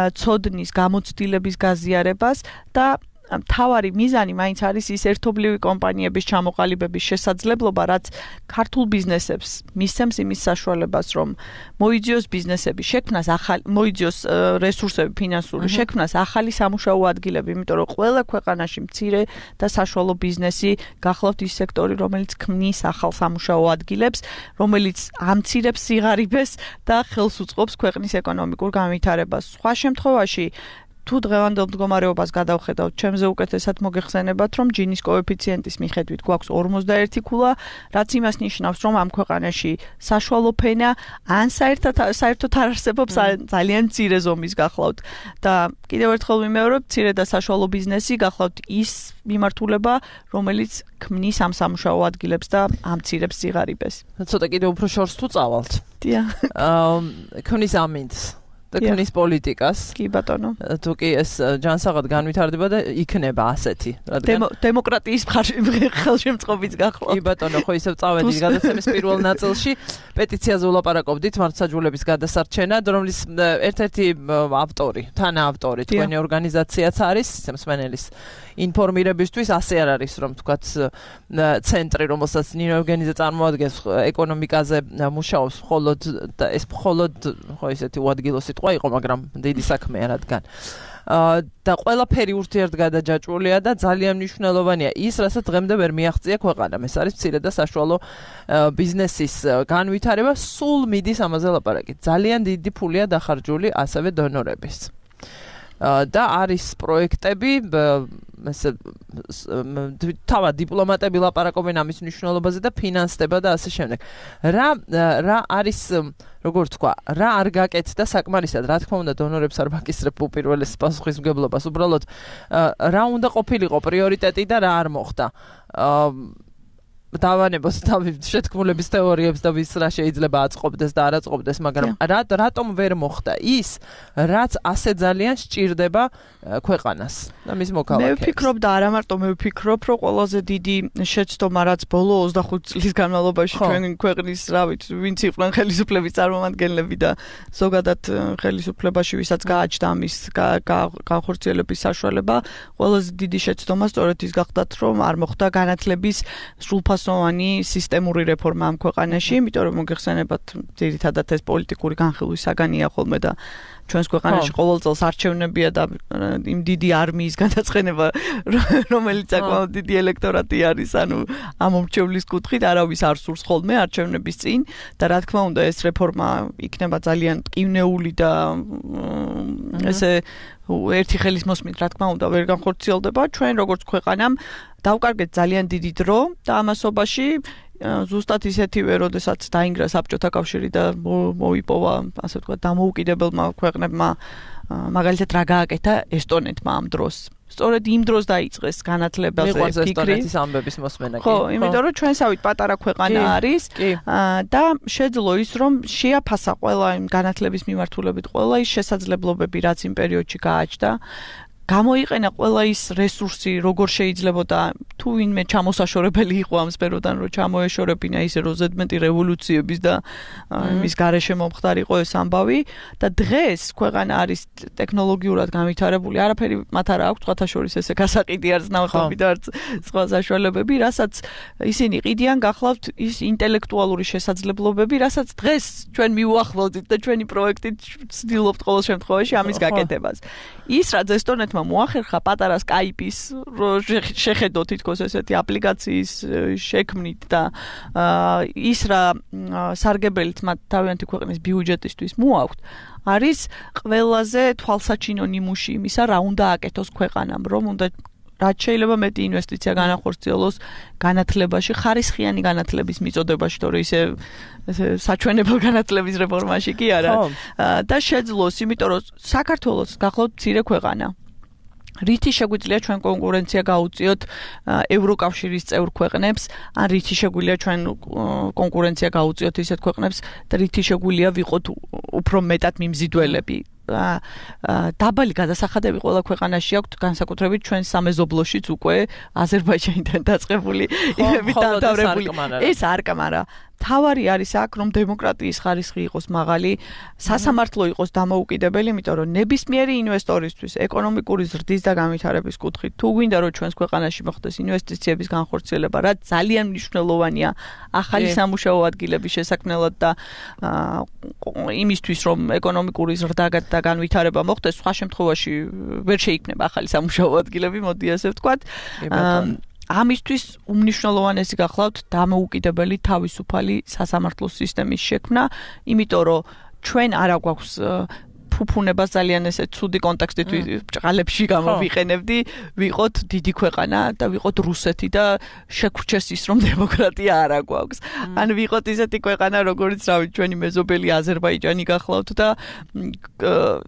ცოდნის გამოცდილების გაზიარებას და მთავარი მიზანი მაინც არის ის ერთობლივი კომპანიების ჩამოყალიბების შესაძლებლობა, რაც ქართულ ბიზნესებს მისცემს იმის საშუალებას, რომ მოიძიოს ბიზნესები შექმნას ახალი, მოიძიოს რესურსები ფინანსური შექმნას ახალი სამუშაო ადგილები, იმიტომ რომ ყველა ქვეყანაში მცირე და საშუალო ბიზნესი გახლავთ ის სექტორი, რომელიც ქმნის ახალ სამუშაო ადგილებს, რომელიც ამცირებს სიღარიბეს და ხელს უწყობს ქვეყნის ეკონომიკურ განვითარებას. სხვა შემთხვევაში თუ დღევანდელ მდგომარეობას გადავხედავთ, ჩემზე უკეთესად მოგეხსენებათ, რომ ჯინის კოეფიციენტის მიხედვით გვაქვს ორმოცდაერთი ქულა, რაც იმას ნიშნავს, რომ ამ ქვეყანაში საშუალო ფენა ან საერთოდ საერთოდ არ არსებობს ძალიან მცირე ზომის გახლავთ. და კიდევ ერთხელ ვიმეორებ, მცირე და საშუალო ბიზნესი გახლავთ ის მიმართულება, რომელიც ქმნის ამ სამუშაო ადგილებს და ამცირებს სიღარიბეს. ცოტა კიდევ უფრო შორს თუ წავალთ. დიახ. აა ქმნის ამინდს. და ქმნის პოლიტიკას. კი ბატონო. თუ კი ეს ჯანსაღად განვითარდება და იქნება ასეთი, რადგან დემოკრატიის ხელშემწყობიც გახლავთ. კი ბატონო, ხო ისევ წავედით გადაცემის პირველ ნაწილში, პეტიციაზე ვლაპარაკობდით მართლმსაჯულების გადასარჩენად, რომლის ერთ-ერთი ავტორი, თანაავტორი თქვენი ორგანიზაციაც არის, მსმენელის ინფორმირებისთვის, ასე არ არის, რომ თქვათ ცენტრი, რომელსაც ნინო ევგენიძე წარმოადგენს, ეკონომიკაზე მუშაობს მხოლოდ და ეს მხოლოდ ხო ისეთი უადგილო სიტყვა იყო, მაგრამ დიდი საქმეა, რადგან და ყველაფერი ურთიერთგადაჯაჭვულია და ძალიან მნიშვნელოვანია ის, რასაც დღემდე ვერ მიაღწია ქვეყანამ. ეს არის მცირე და საშუალო ბიზნესის განვითარება, სულ მიდის ამაზე ლაპარაკი. ძალიან დიდი ფულია დახარჯული ასევე დონორების. და არის პროექტები, ესე თავად დიპლომატები ლაპარაკობენ ამის მნიშვნელობაზე და ფინანსდება და ასე შემდეგ. რა რა არის, როგორ თქვა, რა არ გაკეთდა საკმარისად, რა თქმა უნდა დონორებს არ ვაკისრებ უპირველეს პასუხისმგებლობას, უბრალოდ რა უნდა ყოფილიყო პრიორიტეტი და რა არ მოხდა. დავანებოს თავის შეთქმულების თეორიებს და ვის რა შეიძლება აწყობდეს და არ აწყობდეს, მაგრამ რა რატომ ვერ მოხდა ის, რაც ასე ძალიან სჭირდება ქვეყანას და მის მოქალაქეებს. მე ვფიქრობ და არა მარტო მე ვფიქრობ, რომ ყველაზე დიდი შეცდომა რაც ბოლო ოცდახუთი წლის განმავლობაში ჩვენ ქვეყნის, რა ვიცი, ვინც იყვნენ ხელისუფლების წარმომადგენლები და ზოგადად ხელისუფლებაში ვისაც გააჩნდა ამის განხორციელების საშუალება, ყველაზე დიდი შეცდომა სწორედ ის გახდათ, რომ არ მოხდა განათლების სრულფასოვანი სისტემური რეფორმა ამ ქვეყანაში, იმიტომ რომ მოგეხსენებათ, ძირითადად ეს პოლიტიკური განხილვის საგანია ხოლმე და ჩვენს ქვეყანაში ყოველ წელს არჩევნებია და იმ დიდი არმიის განაცხენება, რომელიც საკმაოდ დიდი ელექტორატი არის, ანუ ამ მომრჩევლის კუთხით არავის არ სურს ხოლმე არჩევნების წინ და რა თქმა უნდა ეს რეფორმა იქნება ძალიან ტკივნეული და ესე ერთი ხელის მოსმით, რა თქმა უნდა, ვერ განხორციელდება. ჩვენ როგორც ქვეყანამ დავკარგეთ ძალიან დიდი დრო და ამასობაში ზუსტად ისეთივე, როდესაც დაინგრა საბჭოთა კავშირი და მოიპოვა, ასე ვთქვათ, დამოუკიდებელმა ქვეყნებმა, მაგალითად რა გააკეთა ესტონეთმა ამ დროს. სწორედ იმ დროს დაიწყეს განათლებაზე ფიქრი. მიყვარს ესტონეთის ამბების მოსმენა. ხო, იმიტომ რომ ჩვენსავით პატარა ქვეყანა არის და შეძლო ის, რომ შეაფასა ყველა იმ განათლების მიმართულებით ყველა ის შესაძლებლობები, რაც იმ პერიოდში გააჩნდა. გამოიყენა ყველა ის რესურსი, როგორ შეიძლებოდა თუ ვინმე ჩამოსაშორებელი იყო ამ სფეროდან, რომ ჩამოეშორებინა ისე რომ ზედმეტი რევოლუციების და იმის გარეშე მომხდარიყო ეს ამბავი და დღეს ქვეყანა არის ტექნოლოგიურად განვითარებული, არაფერი მათ არ აქვს, სხვათა შორის ესე გასაყიდი არც ნავთობი და არც სხვა საშუალებები, რასაც ისინი ყიდიან გახლავთ ის ინტელექტუალური შესაძლებლობები, რასაც დღეს ჩვენ მიუახლოვდით და ჩვენი პროექტით ვცდილობთ ყოველ შემთხვევაში ამის გაკეთებას. ის რაც ესტონეთმა მოახერხა პატარა Skype-ის შეხედო თითქოს ესეთი აპლიკაციის შექმნით და ის რა სარგებელით მათ თავიანთი ქვეყნის ბიუჯეტისთვის მოაქვთ, არის ყველაზე თვალსაჩინო ნიმუში იმისა, რა უნდა აკეთოს ქვეყანამ, რომ უნდა რაც შეიძლება მეტი ინვესტიცია განახორციელოს განათლებაში, ხარისხიანი განათლების მიწოდებაში, თორე ისე საჩვენებელ განათლების რეფორმაში კი არა და შეძლოს, იმიტომ რომ საქართველოს გახლავთ მცირე ქვეყანა. რითი შეგვიძლია ჩვენ კონკურენცია გაუწიოთ ევროკავშირის წევრ ქვეყნებს, ან რითი შეგვიძლია ჩვენ კონკურენცია გაუწიოთ ისეთ ქვეყნებს და რითი შეგვიძლია ვიყოთ უფრო მეტად მიმზიდველები. დაბალი გადასახადები ყველა ქვეყანაში აქვთ, განსაკუთრებით ჩვენ სამეზობლოშიც უკვე აზერბაიჯანიდან დაწყებული იმები დამთავრებული. ეს არ კამარა. თავარი არის აქ, რომ დემოკრატიის ხარისხი იყოს მაღალი, სასამართლო იყოს დამოუკიდებელი, იმიტომ რომ ნებისმიერი ინვესტორისთვის ეკონომიკური ზრდის და განვითარების კუთხით, თუ გვინდა რომ ჩვენს ქვეყანაში მოხდეს ინვესტიციების განხორციელება, რაც ძალიან მნიშვნელოვანია ახალი სამუშაო ადგილების შესაქმნელად და იმისთვის, რომ ეკონომიკური ზრდა და განვითარება მოხდეს, სხვა შემთხვევაში ვერ შეიქმნება ახალი სამუშაო ადგილები, მოდი ასე ვთქვათ. ამისთვის უმნიშვნელოვანესი გახლავთ დამოუკიდებელი თავისუფალი სასამართლო სისტემის შექმნა, იმიტომ რომ ჩვენ არ აგვაქვს ფუფუნებას ძალიან ესე ცუდი კონტექსტით ბრჭყალებში გამოვიყენებდი, ვიყოთ დიდი ქვეყანა და ვიყოთ რუსეთი და შეგვრჩეს ის, რომ დემოკრატია არ აგვაქვს. ან ვიყოთ ისეთი ქვეყანა, როგორც რავი, ჩვენი მეზობელი აზერბაიჯანი გახლავთ და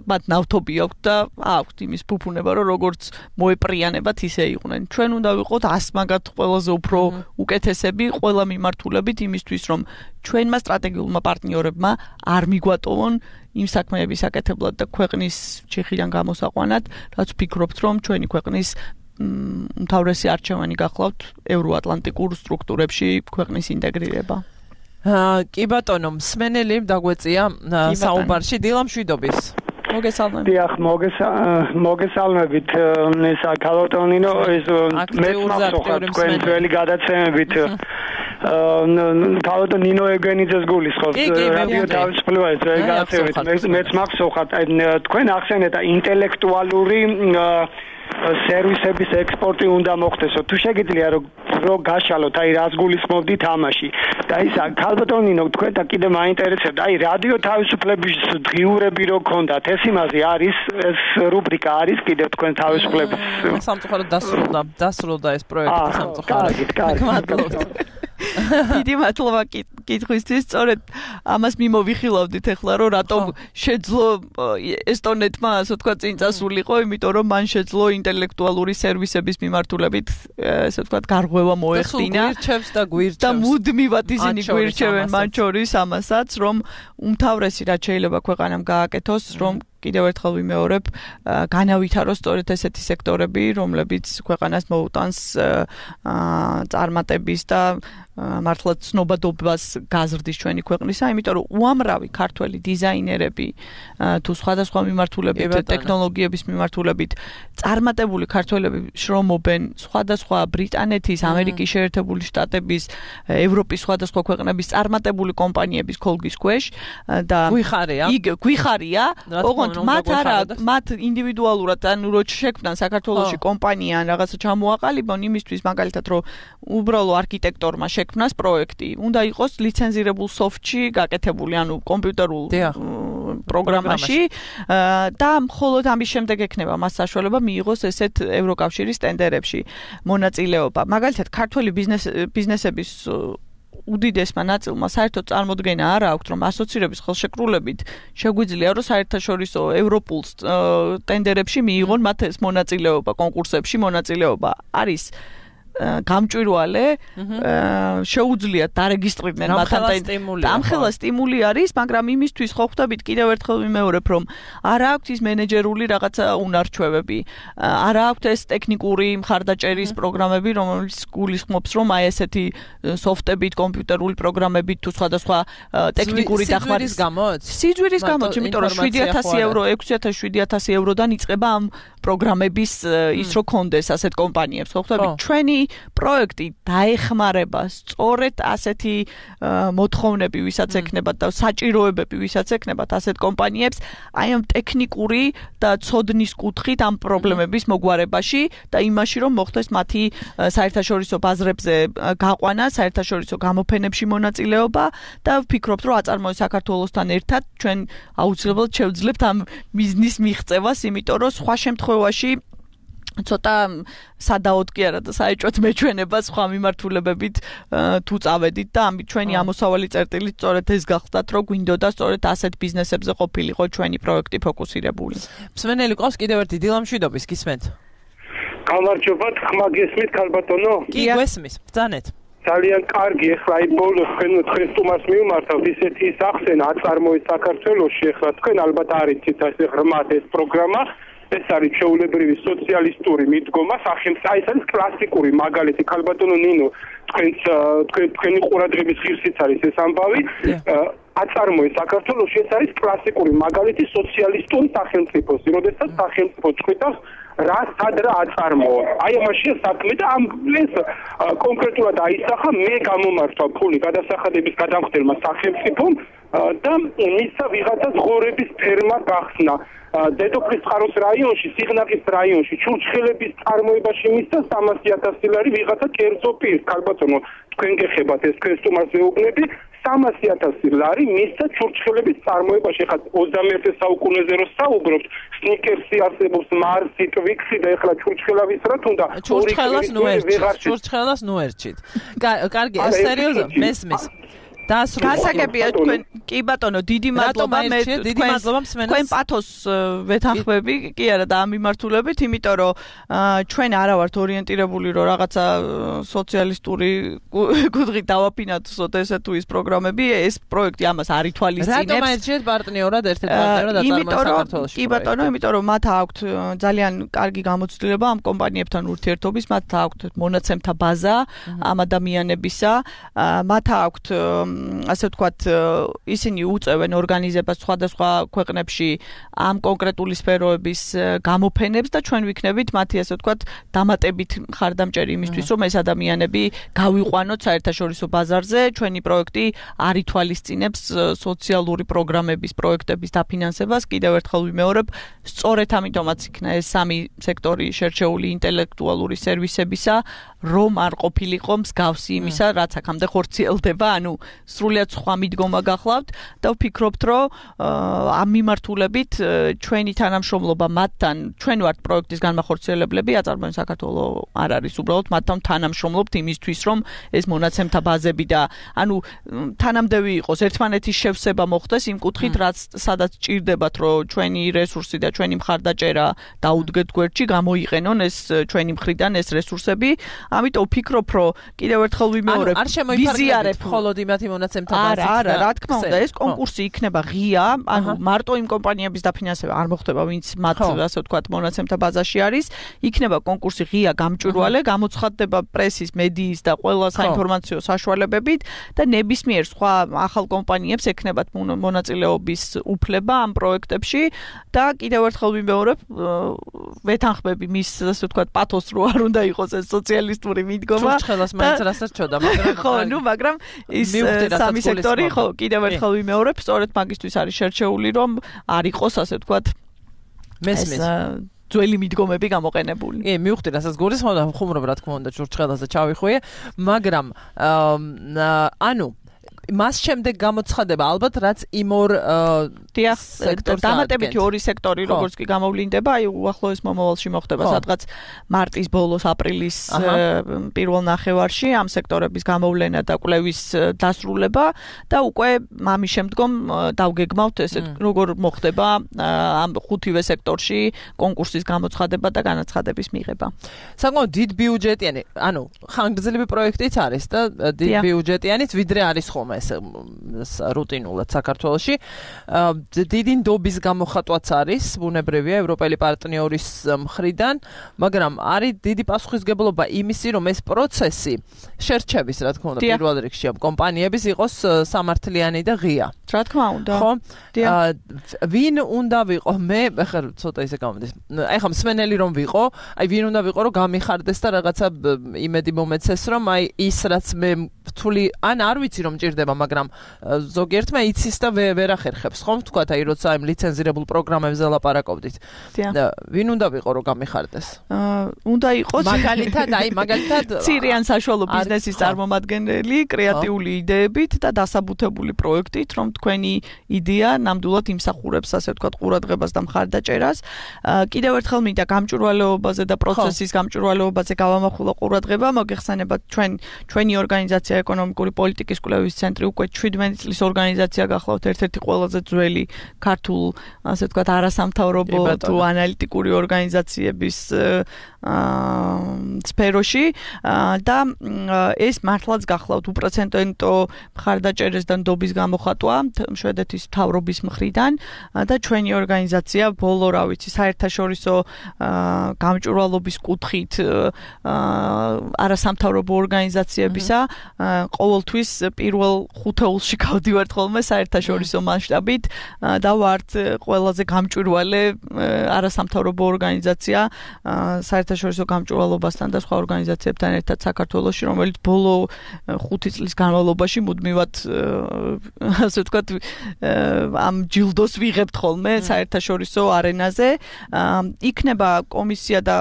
მათ ნავთობი აქვთ და აქვთ იმის ფუფუნება, რომ როგორც მოეპრიანებათ ისე იყვნენ. ჩვენ უნდა ვიყოთ ასმაგად ყველაზე უფრო უკეთესები ყველა მიმართულებით იმისთვის, რომ ჩვენმა სტრატეგიულმა პარტნიორებმა არ მიგვატოვონ იმ საქმეების აკეთებლად და ქვეყნის ჩიხიდან გამოსაყვანად, რაც ვფიქრობთ, რომ ჩვენი ქვეყნის უმთავრესი არჩევანი გახლავთ ევროატლანტიკურ სტრუქტურებში ქვეყნის ინტეგრირება. კი ბატონო, მსმენელი დაგვეწია საუბარში, დილა მშვიდობის. მოგესალმებით. დიახ, მოგესალმებით. ესა კალოტონინო, ეს მე მახსოვს თქვენ ძველი გადაცემებით კალოტო ნინო ეგენიძეს გულისხმობ რადიო თავისუფლებას გადაცემით. მეც მახსოვხათ თქვენ ახსენეთ ინტელექტუალური სერვისების ექსპორტი უნდა მოხდესო. თუ შეგიძლია რომ გაშალოთ, აი რას გულისხმობდით ამაში. და ის კალოტონინო თქვენ და კიდე მაინტერესებდა, აი რადიო თავისუფლების დღიურები რო გქონდათ, ეს იმაზე არის, ეს რუბრიკა არის კიდე თქვენ თავისუფლების სამწუხაროდ დასრულდა, დასრულდა ეს პროექტი სამწუხაროდ. კარგი, კარგი. დიდი მადლობა კითხვისთვის. სწორედ ამას მიმოვიხილავდით ახლა, რომ რატომ შეძლო ესტონეთმა, ასე ვთქვათ, წინ წასულიყო, იმიტომ რომ მან შეძლო ინტელექტუალური სერვისების მიმართულებით, ასე ვთქვათ, გარღვევა მოეხდინა. და გვირჩევს და მუდმივად ისინი გვირჩევენ მან შორის ამასაც, რომ უმთავრესი რაც შეიძლება ქვეყანამ გააკეთოს, რომ კიდევ ერთხელ ვიმეორებ, განავითაროს სწორედ ესეთი სექტორები, რომლებიც ქვეყანას მოუტანს წარმატების და მართლაც ცნობადობას გაზრდის ჩვენი ქვეყნისა, იმიტომ რომ უამრავი ქართველი დიზაინერები თუ სხვადასხვა მიმართულებით, ტექნოლოგიების მიმართულებით წარმატებული ქართველები შრომობენ სხვადასხვა ბრიტანეთის, ამერიკის შეერთებული შტატების, ევროპის სხვადასხვა ქვეყნების წარმატებული კომპანიების ქოლგის ქვეშ და გვიხარია. იქ გვიხარია, ოღონდ მათ არა, მათ ინდივიდუალურად ანუ რო შექმნან საქართველოში კომპანია ან რაღაცა ჩამოაყალიბონ იმისთვის მაგალითად რომ უბრალო არქიტექტორმა შექმნას პროექტი, უნდა იყოს ლიცენზირებულ სოფტში გაკეთებული, ანუ კომპიუტერულ პროგრამაში და მხოლოდ ამის შემდეგ ექნება მას საშუალება მიიღოს ესეთ ევროკავშირის ტენდერებში მონაწილეობა. მაგალითად, ქართველი ბიზნეს ბიზნესების უდიდესმა ნაწილმა საერთოდ წარმოდგენა არ აქვს, რომ ასოცირების ხელშეკრულებით შეგვიძლია რომ საერთაშორისო ევროპულს ტენდერებში მიიღონ მათ ეს მონაწილეობა, კონკურსებში მონაწილეობა. არის გამჭვირვალე, შეუძლიათ დარეგისტრირდნენ მათ ამხელა სტიმული არის, მაგრამ იმისთვის ხო ხვდებით კიდევ ერთხელ ვიმეორებ, რომ არ აქვს ის მენეჯერული რაღაცა უნარჩვევები, არ აქვს ეს ტექნიკური მხარდაჭერის პროგრამები, რომელიც გულისხმობს, რომ აი ესეთი სოფტებით, კომპიუტერული პროგრამებით თუ სხვადასხვა ტექნიკური დახმარების გამოც. სიძვირის გამოც, იმიტომ რომ შვიდი ათასი ევრო, ექვსი ათას შვიდი ათასი ევროდან იწყება ამ პროგრამების ის რო კონდეს ასეთ კომპანიებს, ხო ხვდებით? ჩვენი პროექტი დაეხმარება სწორედ ასეთი მოთხოვნები, ვისაც ექნებათ და საჭიროებები, ვისაც ექნებათ ასეთ კომპანიებს, აი ამ ტექნიკური და ცოდნის კუთხით ამ პრობლემების მოგვარებაში და იმაში, რომ მოხდეს მათი საერთაშორისო ბაზრებზე გაყვანა, საერთაშორისო გამოფენებში მონაწილეობა და ვფიქრობთ, რომ აწარმოეს საქართველოსთან ერთად ჩვენ აუცილებლად შევძლებთ ამ ბიზნეს მიღწევას, იმიტომ რომ სხვა შემთხვევაში ცოტა სადაოდ კი არა და საეჭვოდ მეჩვენება სხვა მიმართულებებით თუ წავედით და ამით ჩვენი ამოსავალი წერტილი სწორედ ეს გახდათ, რომ გვინდოდა სწორედ ასეთ ბიზნესებზე ყოფილიყო ჩვენი პროექტი ფოკუსირებული. მსმენელი ყავს კიდევ ერთი დილამშვიდობის, გისმენთ? გამარჯობა, ხმა გესმით ქალბატონო? კი, გესმის, ბრძანეთ. ძალიან კარგი, ეხლა აი ბოლოს თქვენ თქვენ სტუმარს მივმართავთ ისეთი სახსენა აწარმოეს საქართველოში, ეხლა თქვენ ალბათ არიცით ეს ღრმად ეს პროგრამა. ეს არის ჩვეულებრივი სოციალისტური მიდგომა, სახელმწიფო, აი ეს არის კლასიკური მაგალითი, ქალბატონო ნინო, თქვენს თქვენი ყურადღების ღირსიც არის ეს ამბავი. აწარმოეს საქართველოში ეს არის კლასიკური მაგალითი სოციალისტური სახელმწიფოს, როდესაც სახელმწიფო ჭყვიდავს რა სად რა აწარმოა. აი ამაშია საქმე და ამ ეს კონკრეტულად აისახა მე გამომართვა ფული გადასახადების გადამხდელმა სახელმწიფომ და მისცა ვიღაცა ღორების ფერმა გახსნა. დედოფლის წყაროს რაიონში, სიღნაღის რაიონში, ჩურჩხელების წარმოებაში მისცა სამასი ათასი ლარი ვიღაცა კერძო პირს, ქალბატონო, თქვენ გეხებათ ეს თქვენ სტუმარს ვეუბნები, სამასი ათასი ლარი მისცა ჩურჩხელების წარმოებაში. ხა ოცდამეერთე საუკუნეზე რო საუბრობთ, სნიკერსი არსებობს, მარსი, ტვიქსი და ეხლა ჩურჩხელავის რა თუნდა ჩურჩხელას ნუ ერჩით. ჩურჩხელას ნუ ერჩით. კარგი, სერიოზულად მესმის. გასაგებია თქვენ კი ბატონო დიდი მადლობა მე დიდი მადლობა მსმენელს თქვენ პათოს ვეთანხმები კი არა და ამ მიმართულებით იმიტომ რომ ჩვენ არა ვართ ორიენტირებული რომ რაღაცა სოციალისტური კუთხით დავაფინანსოთ ესე თუ ის პროგრამები ეს პროექტი ამას არ ითვალისწინებს რატომ აერჩიეთ პარტნიორად ერთ-ერთ პარტნიორად აწარმოეს საქართველოში კი ბატონო იმიტომ რომ მათ აქვთ ძალიან კარგი გამოცდილება ამ კომპანიებთან ურთიერთობის მათ აქვთ მონაცემთა ბაზა ამ ადამიანებისა მათ აქვთ ასე ვთქვათ, ისინი უწევენ ორგანიზებას სხვადასხვა ქვეყნებში ამ კონკრეტული სფეროების გამოფენებს და ჩვენ ვიქნებით მათი ასე ვთქვათ, დამატებით მხარდამჭერი იმისთვის, რომ ეს ადამიანები გავიყვანოთ საერთაშორისო ბაზარზე, ჩვენი პროექტი არ ითვალისწინებს სოციალური პროგრამების პროექტების დაფინანსებას, კიდევ ერთხელ ვიმეორებ, სწორედ ამიტომაც იქნა ეს სამი სექტორი შერჩეული ინტელექტუალური სერვისებისა, რომ არ ყოფილიყო მსგავსი იმისა, რაც აქამდე ხორციელდება, ანუ სრულიად სხვა მიდგომა გახლავთ და ვფიქრობთ, რომ ამ მიმართულებით ჩვენი თანამშრომლობა მათთან, ჩვენ ვართ პროექტის განმახორციელებლები, აწარმოებენ საქართველოს არ არის უბრალოდ მათთან თანამშრომლობთ იმისთვის, რომ ეს მონაცემთა ბაზები და ანუ თანამდევი იყოს ერთმანეთის შევსება მოხდეს იმ კუთხით, რაც სადაც ჭირდებათ, რომ ჩვენი რესურსი და ჩვენი მხარდაჭერა დაუდგეთ გვერდში, გამოიყენონ ეს ჩვენი მხრიდან ეს რესურსები. ამიტომ ვფიქრობ, რომ კიდევ ერთხელ ვიმეორებ, არ შემოიფარგლებით მხოლოდ იმათი მონაცემთა ბაზით. არა, არა, რა თქმა უნდა, ეს კონკურსი იქნება ღია, ანუ მარტო იმ კომპანიების დაფინანსება არ მოხდება, ვინც მათ ასე ვთქვათ მონაცემთა ბაზაში არის. იქნება კონკურსი ღია, გამჭვირვალე, გამოცხადდება პრესის, მედიის და ყველა საინფორმაციო საშუალებებით და ნებისმიერ სხვა ახალ კომპანიებს ექნებათ მონაწილეობის უფლება ამ პროექტებში და კიდევ ერთხელ ვიმეორებ, ვეთანხმები მის ასე ვთქვათ პათოს რო არ უნდა იყოს ეს სოციალისტური მიდგომა. ჩურჩხელას მაინც რასაც ჩოდა, მაგრამ ხო, ნუ მაგრამ ის სამი სექტორი ხო კიდევ ერთხელ ვიმეორებ, სწორედ მაგისთვის არის შერჩეული, რომ არ იყოს ასე ვთქვათ მესმის ძველი მიდგომები გამოყენებული. კი, მივხვდი, რასაც გულისხმობ და ხუმრობ, რა თქმა უნდა, ჩურჩხელაზე ჩავიხვიე, მაგრამ ანუ მას შემდეგ გამოცხადება ალბათ რაც იმ ორ სექტორს დამატებითი ორი სექტორი როგორც კი გამოვლინდება, აი უახლოეს მომავალში მოხდება სადღაც მარტის ბოლოს აპრილის პირველ ნახევარში ამ სექტორების გამოვლენა და კვლევის დასრულება და უკვე ამის შემდგომ დავგეგმავთ ესეთ როგორ მოხდება ამ ხუთივე სექტორში კონკურსის გამოცხადება და განაცხადების მიღება. საკმაოდ დიდ ბიუჯეტიანი, ანუ ხანგრძლივი პროექტიც არის და დიდ ბიუჯეტიანიც ვიდრე არის ხომ ეს რუტინულად საქართველოში. დიდი ნდობის გამოხატვაც არის ბუნებრივია ევროპელი პარტნიორის მხრიდან, მაგრამ არის დიდი პასუხისმგებლობა იმისი, რომ ეს პროცესი შერჩევის, რა თქმა უნდა, პირველ რიგში ამ კომპანიების იყოს სამართლიანი და ღია. რა თქმა უნდა. ხო? ვინ უნდა ვიყო? მე ახლა ცოტა ისე გამომდის. აი ხომ მსმენელი რომ ვიყო, აი ვინ უნდა ვიყო, რომ გამიხარდეს და რაღაცა იმედი მომეცეს, რომ აი ის რაც მე თული ან არ ვიცი რომ ჭირდება, მაგრამ ზოგიერთმა იცის და ვერ ახერხებს, ხომ ვთქვათ, აი როცა იმ ლიცენზირებულ პროგრამებზე ლაპარაკობდით. ვინ უნდა ვიყო, რომ გამიხარდეს? უნდა იყოს მაგალითად, აი მაგალითად მცირე ან საშუალო ბიზნესის წარმომადგენელი, კრეატიული იდეებით და დასაბუთებული პროექტით, რომ თქვენი იდეა ნამდვილად იმსახურებს, ასე ვთქვათ, ყურადღებას და მხარდაჭერას. კიდევ ერთხელ მინდა გამჭვირვალეობაზე და პროცესის გამჭვირვალეობაზე გავამახვილო ყურადღება, მოგეხსენებათ ჩვენ ჩვენი ორგანიზაცია ეკონომიკური პოლიტიკის კვლევის ცენტრი უკვე შვიდმეტი წლის ორგანიზაცია გახლავთ, ერთ-ერთი ყველაზე ძველი ქართულ, ასე ვთქვათ, არასამთავრობო თუ ანალიტიკური ორგანიზაციების სფეროში და ეს მართლაც გახლავთ უპრეცედენტო მხარდაჭერას და ნდობის გამოხატვა შვედეთის მთავრობის მხრიდან და ჩვენი ორგანიზაცია ბოლო, რა ვიცი, საერთაშორისო გამჭვირვალობის კუთხით არასამთავრობო ორგანიზაციებისა ყოველთვის პირველ ხუთეულში გავდივართ ხოლმე საერთაშორისო მასშტაბით და ვართ ყველაზე გამჭვირვალე არასამთავრობო ორგანიზაცია საერთაშორისო გამჭვირვალობასთან და სხვა ორგანიზაციებთან ერთად საქართველოში, რომელიც ბოლო ხუთი წლის განმავლობაში მუდმივად ასე ვთქვათ ამ ჯილდოს ვიღებთ ხოლმე საერთაშორისო არენაზე. იქნება კომისია და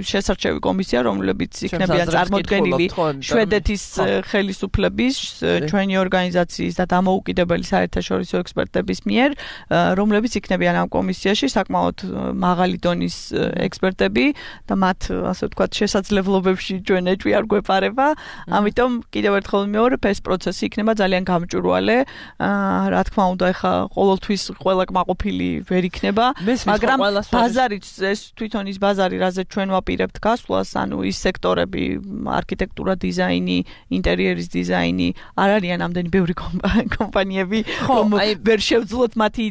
შესარჩევი კომისია, რომლებიც იქნებიან წარმოდგენილი შვედეთის ხელისუფლების, ჩვენი ორგანიზაციის და დამოუკიდებელი საერთაშორისო ექსპერტების მიერ, რომლებიც იქნებიან ამ კომისიაში საკმაოდ მაღალი დონის ექსპერტები და მათ, ასე ვთქვათ, შესაძლებლობებში ჩვენ ეჭვი არ გვეპარება. ამიტომ კიდევ ერთხელ ვიმეორებ, ეს პროცესი იქნება ძალიან გამჭვირვალე. რა თქმა უნდა, ეხა ყოველთვის ყველა კმაყოფილი ვერ იქნება, მაგრამ ბაზარიც ეს თვითონ ის ბაზარი, რაზეც ჩვენ ვაპირებთ გასვლას, ანუ ის სექტორები, არქიტექტურა, დიზაინი, ინტერიერის დიზაინი, არ არიან ამდენი ბევრი კომპანიები, რომ ვერ შევძლოთ მათი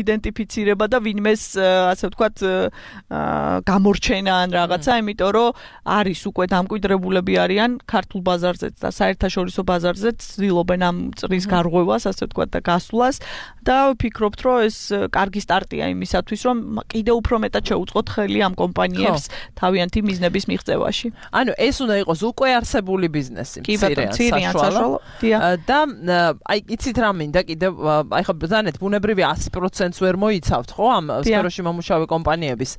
იდენტიფიცირება და ვინმეს, ასე ვთქვათ, გამორჩენა ან რაღაცა, იმიტომ რომ არის უკვე დამკვიდრებულები არიან ქართულ ბაზარზეც და საერთაშორისო ბაზარზეც, ცდილობენ ამ წრის გარღვევას, ასე ვთქვათ, და გასვლას და ვფიქრობთ, რომ ეს კარგი სტარტია იმისათვის, რომ კიდევ უფრო მეტად შეუწყოთ ხელი ამ კომპანიებს თავიანთი მიზნების მიღწევაში. ანუ ეს უნდა იყოს უკვე არსებული ბიზნესი, მცირე ან საშუალო. და აი იცით რა მინდა კიდევ, აი ხო ზანეთ ბუნებრივი ასი პროცენტს ვერ მოიცავთ, ხო, ამ სფეროში მომუშავე კომპანიების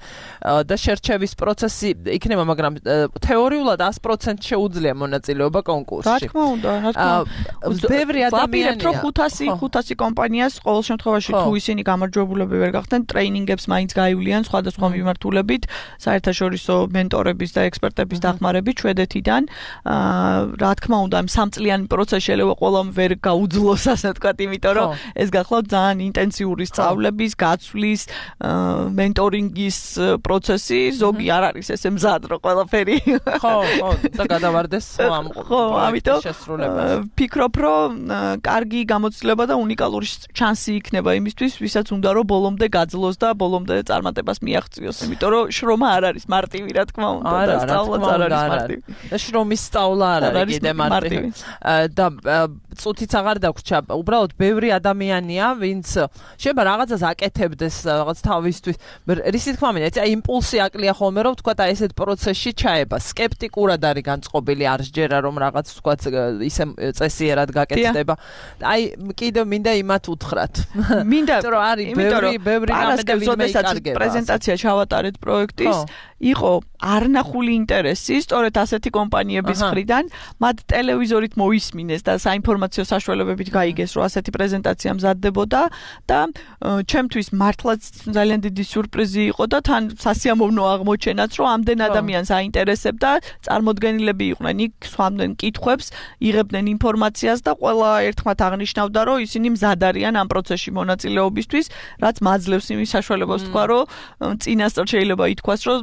და შერჩევის ეს პროცესი იქნება, მაგრამ თეორიულად sto procenti შეუძლია მონაწილეობა კონკურსში. რა თქმა უნდა, რა თქმა უნდა. ბევრი ადამიანია. ვაპირებთ, რომ ხუთასი ხუთასი კომპანიას ყოველ შემთხვევაში თუ ისინი გამარჯვებულები ვერ გახდნენ, ტრეინინგებს მაინც გაივლიან სხვადასხვა მიმართულებით, საერთაშორისო მენტორების და ექსპერტების დახმარებით შვედეთიდან. რა თქმა უნდა, ამ სამწლიანი პროცესი შეიძლება ყველამ ვერ გაუძლოს, ასე ვთქვათ, იმიტომ რომ ეს გახლავთ ძალიან ინტენსიური სწავლების, გაცვლის, მენტორინგის პროცესი, ზოგი არ არის ესე მზად რომ ყველაფერი. ხო, ხო, და გადავარდეს ამ შესრულებას. ფიქრობ, რომ კარგი გამოცდილება და უნიკალური შანსი იქნება იმისთვის, ვისაც უნდა რომ ბოლომდე გაძლოს და ბოლომდე წარმატებას მიაღწიოს, იმიტომ რომ შრომა არ არის მარტივი, რა თქმა უნდა, და სწავლაც არ არის მარტივი. და შრომის სწავლა არ არის კიდე მარტივი. და წუთიც აღარ დაგვრჩა. უბრალოდ ბევრი ადამიანია, ვინც შეიძლება რაღაცას აკეთებდეს, რაღაც თავისთვის. რისი თქმა მინდა, აი იმპულსი აკლია ხოლმე, რომ თქვა და ესეთ პროცესში ჩაება. სკეპტიკურად არის განწყობილი, არ შეერა რომ რაღაც თქვა ისე წესიერად გაკეთდება. აი კიდე მინდა იმათ უთხრათ. მინდა რომ არის ბევრი ბევრი გამედები მეიკარგება. პრეზენტაცია ჩავატარეთ პროექტის, იყო არნახული ინტერესი, სწორედ ასეთი კომპანიების მხრიდან, მათ ტელევიზორით მოისმინეს და საინფორმაციო საშუალებებით გაიგეს, რომ ასეთი პრეზენტაცია მზადდებოდა და ჩემთვის მართლაც ძალიან დიდი სიურპრიზი იყო და თან სასიამოვნო აღმოჩენაც, რომ ამდენ ადამიანს აინტერესებდა, წარმოდგენილები იყვნენ იქ, swamden კითხვებს, იღებდნენ ინფორმაციას და ყველა ერთხმად აღნიშნავდა, რომ ისინი მზად არიან ამ პროცესში მონაწილეობისთვის, რაც მაძლევს იმის საშუალებას თქვა, რომ წინასწარ შეიძლება ითქვას, რომ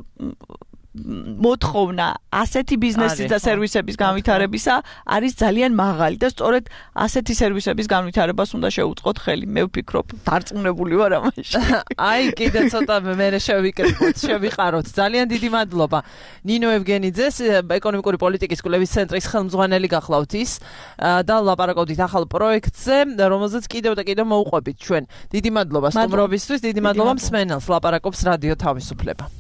მოთხოვნა ასეთი ბიზნესის და სერვისების განვითარებისა არის ძალიან მაღალი და სწორედ ასეთი სერვისების განვითარებას უნდა შევუწყოთ ხელი. მე ვფიქრობ, დარწმუნებული ვარ ამაში. აი, კიდე ცოტა მე შევიკრიბოთ, შევიყაროთ. ძალიან დიდი მადლობა. ნინო ევგენიძეს, ეკონომიკური პოლიტიკის კვლევის ცენტრის ხელმძღვანელი გახლავთ ის და ლაპარაკობდით ახალ პროექტზე, რომელზეც კიდევ და კიდევ მოუყვებით ჩვენ. დიდი მადლობა სტუმრობისთვის, დიდი მადლობა მსმენელს, ლაპარაკობს რადიო თავისუფლება.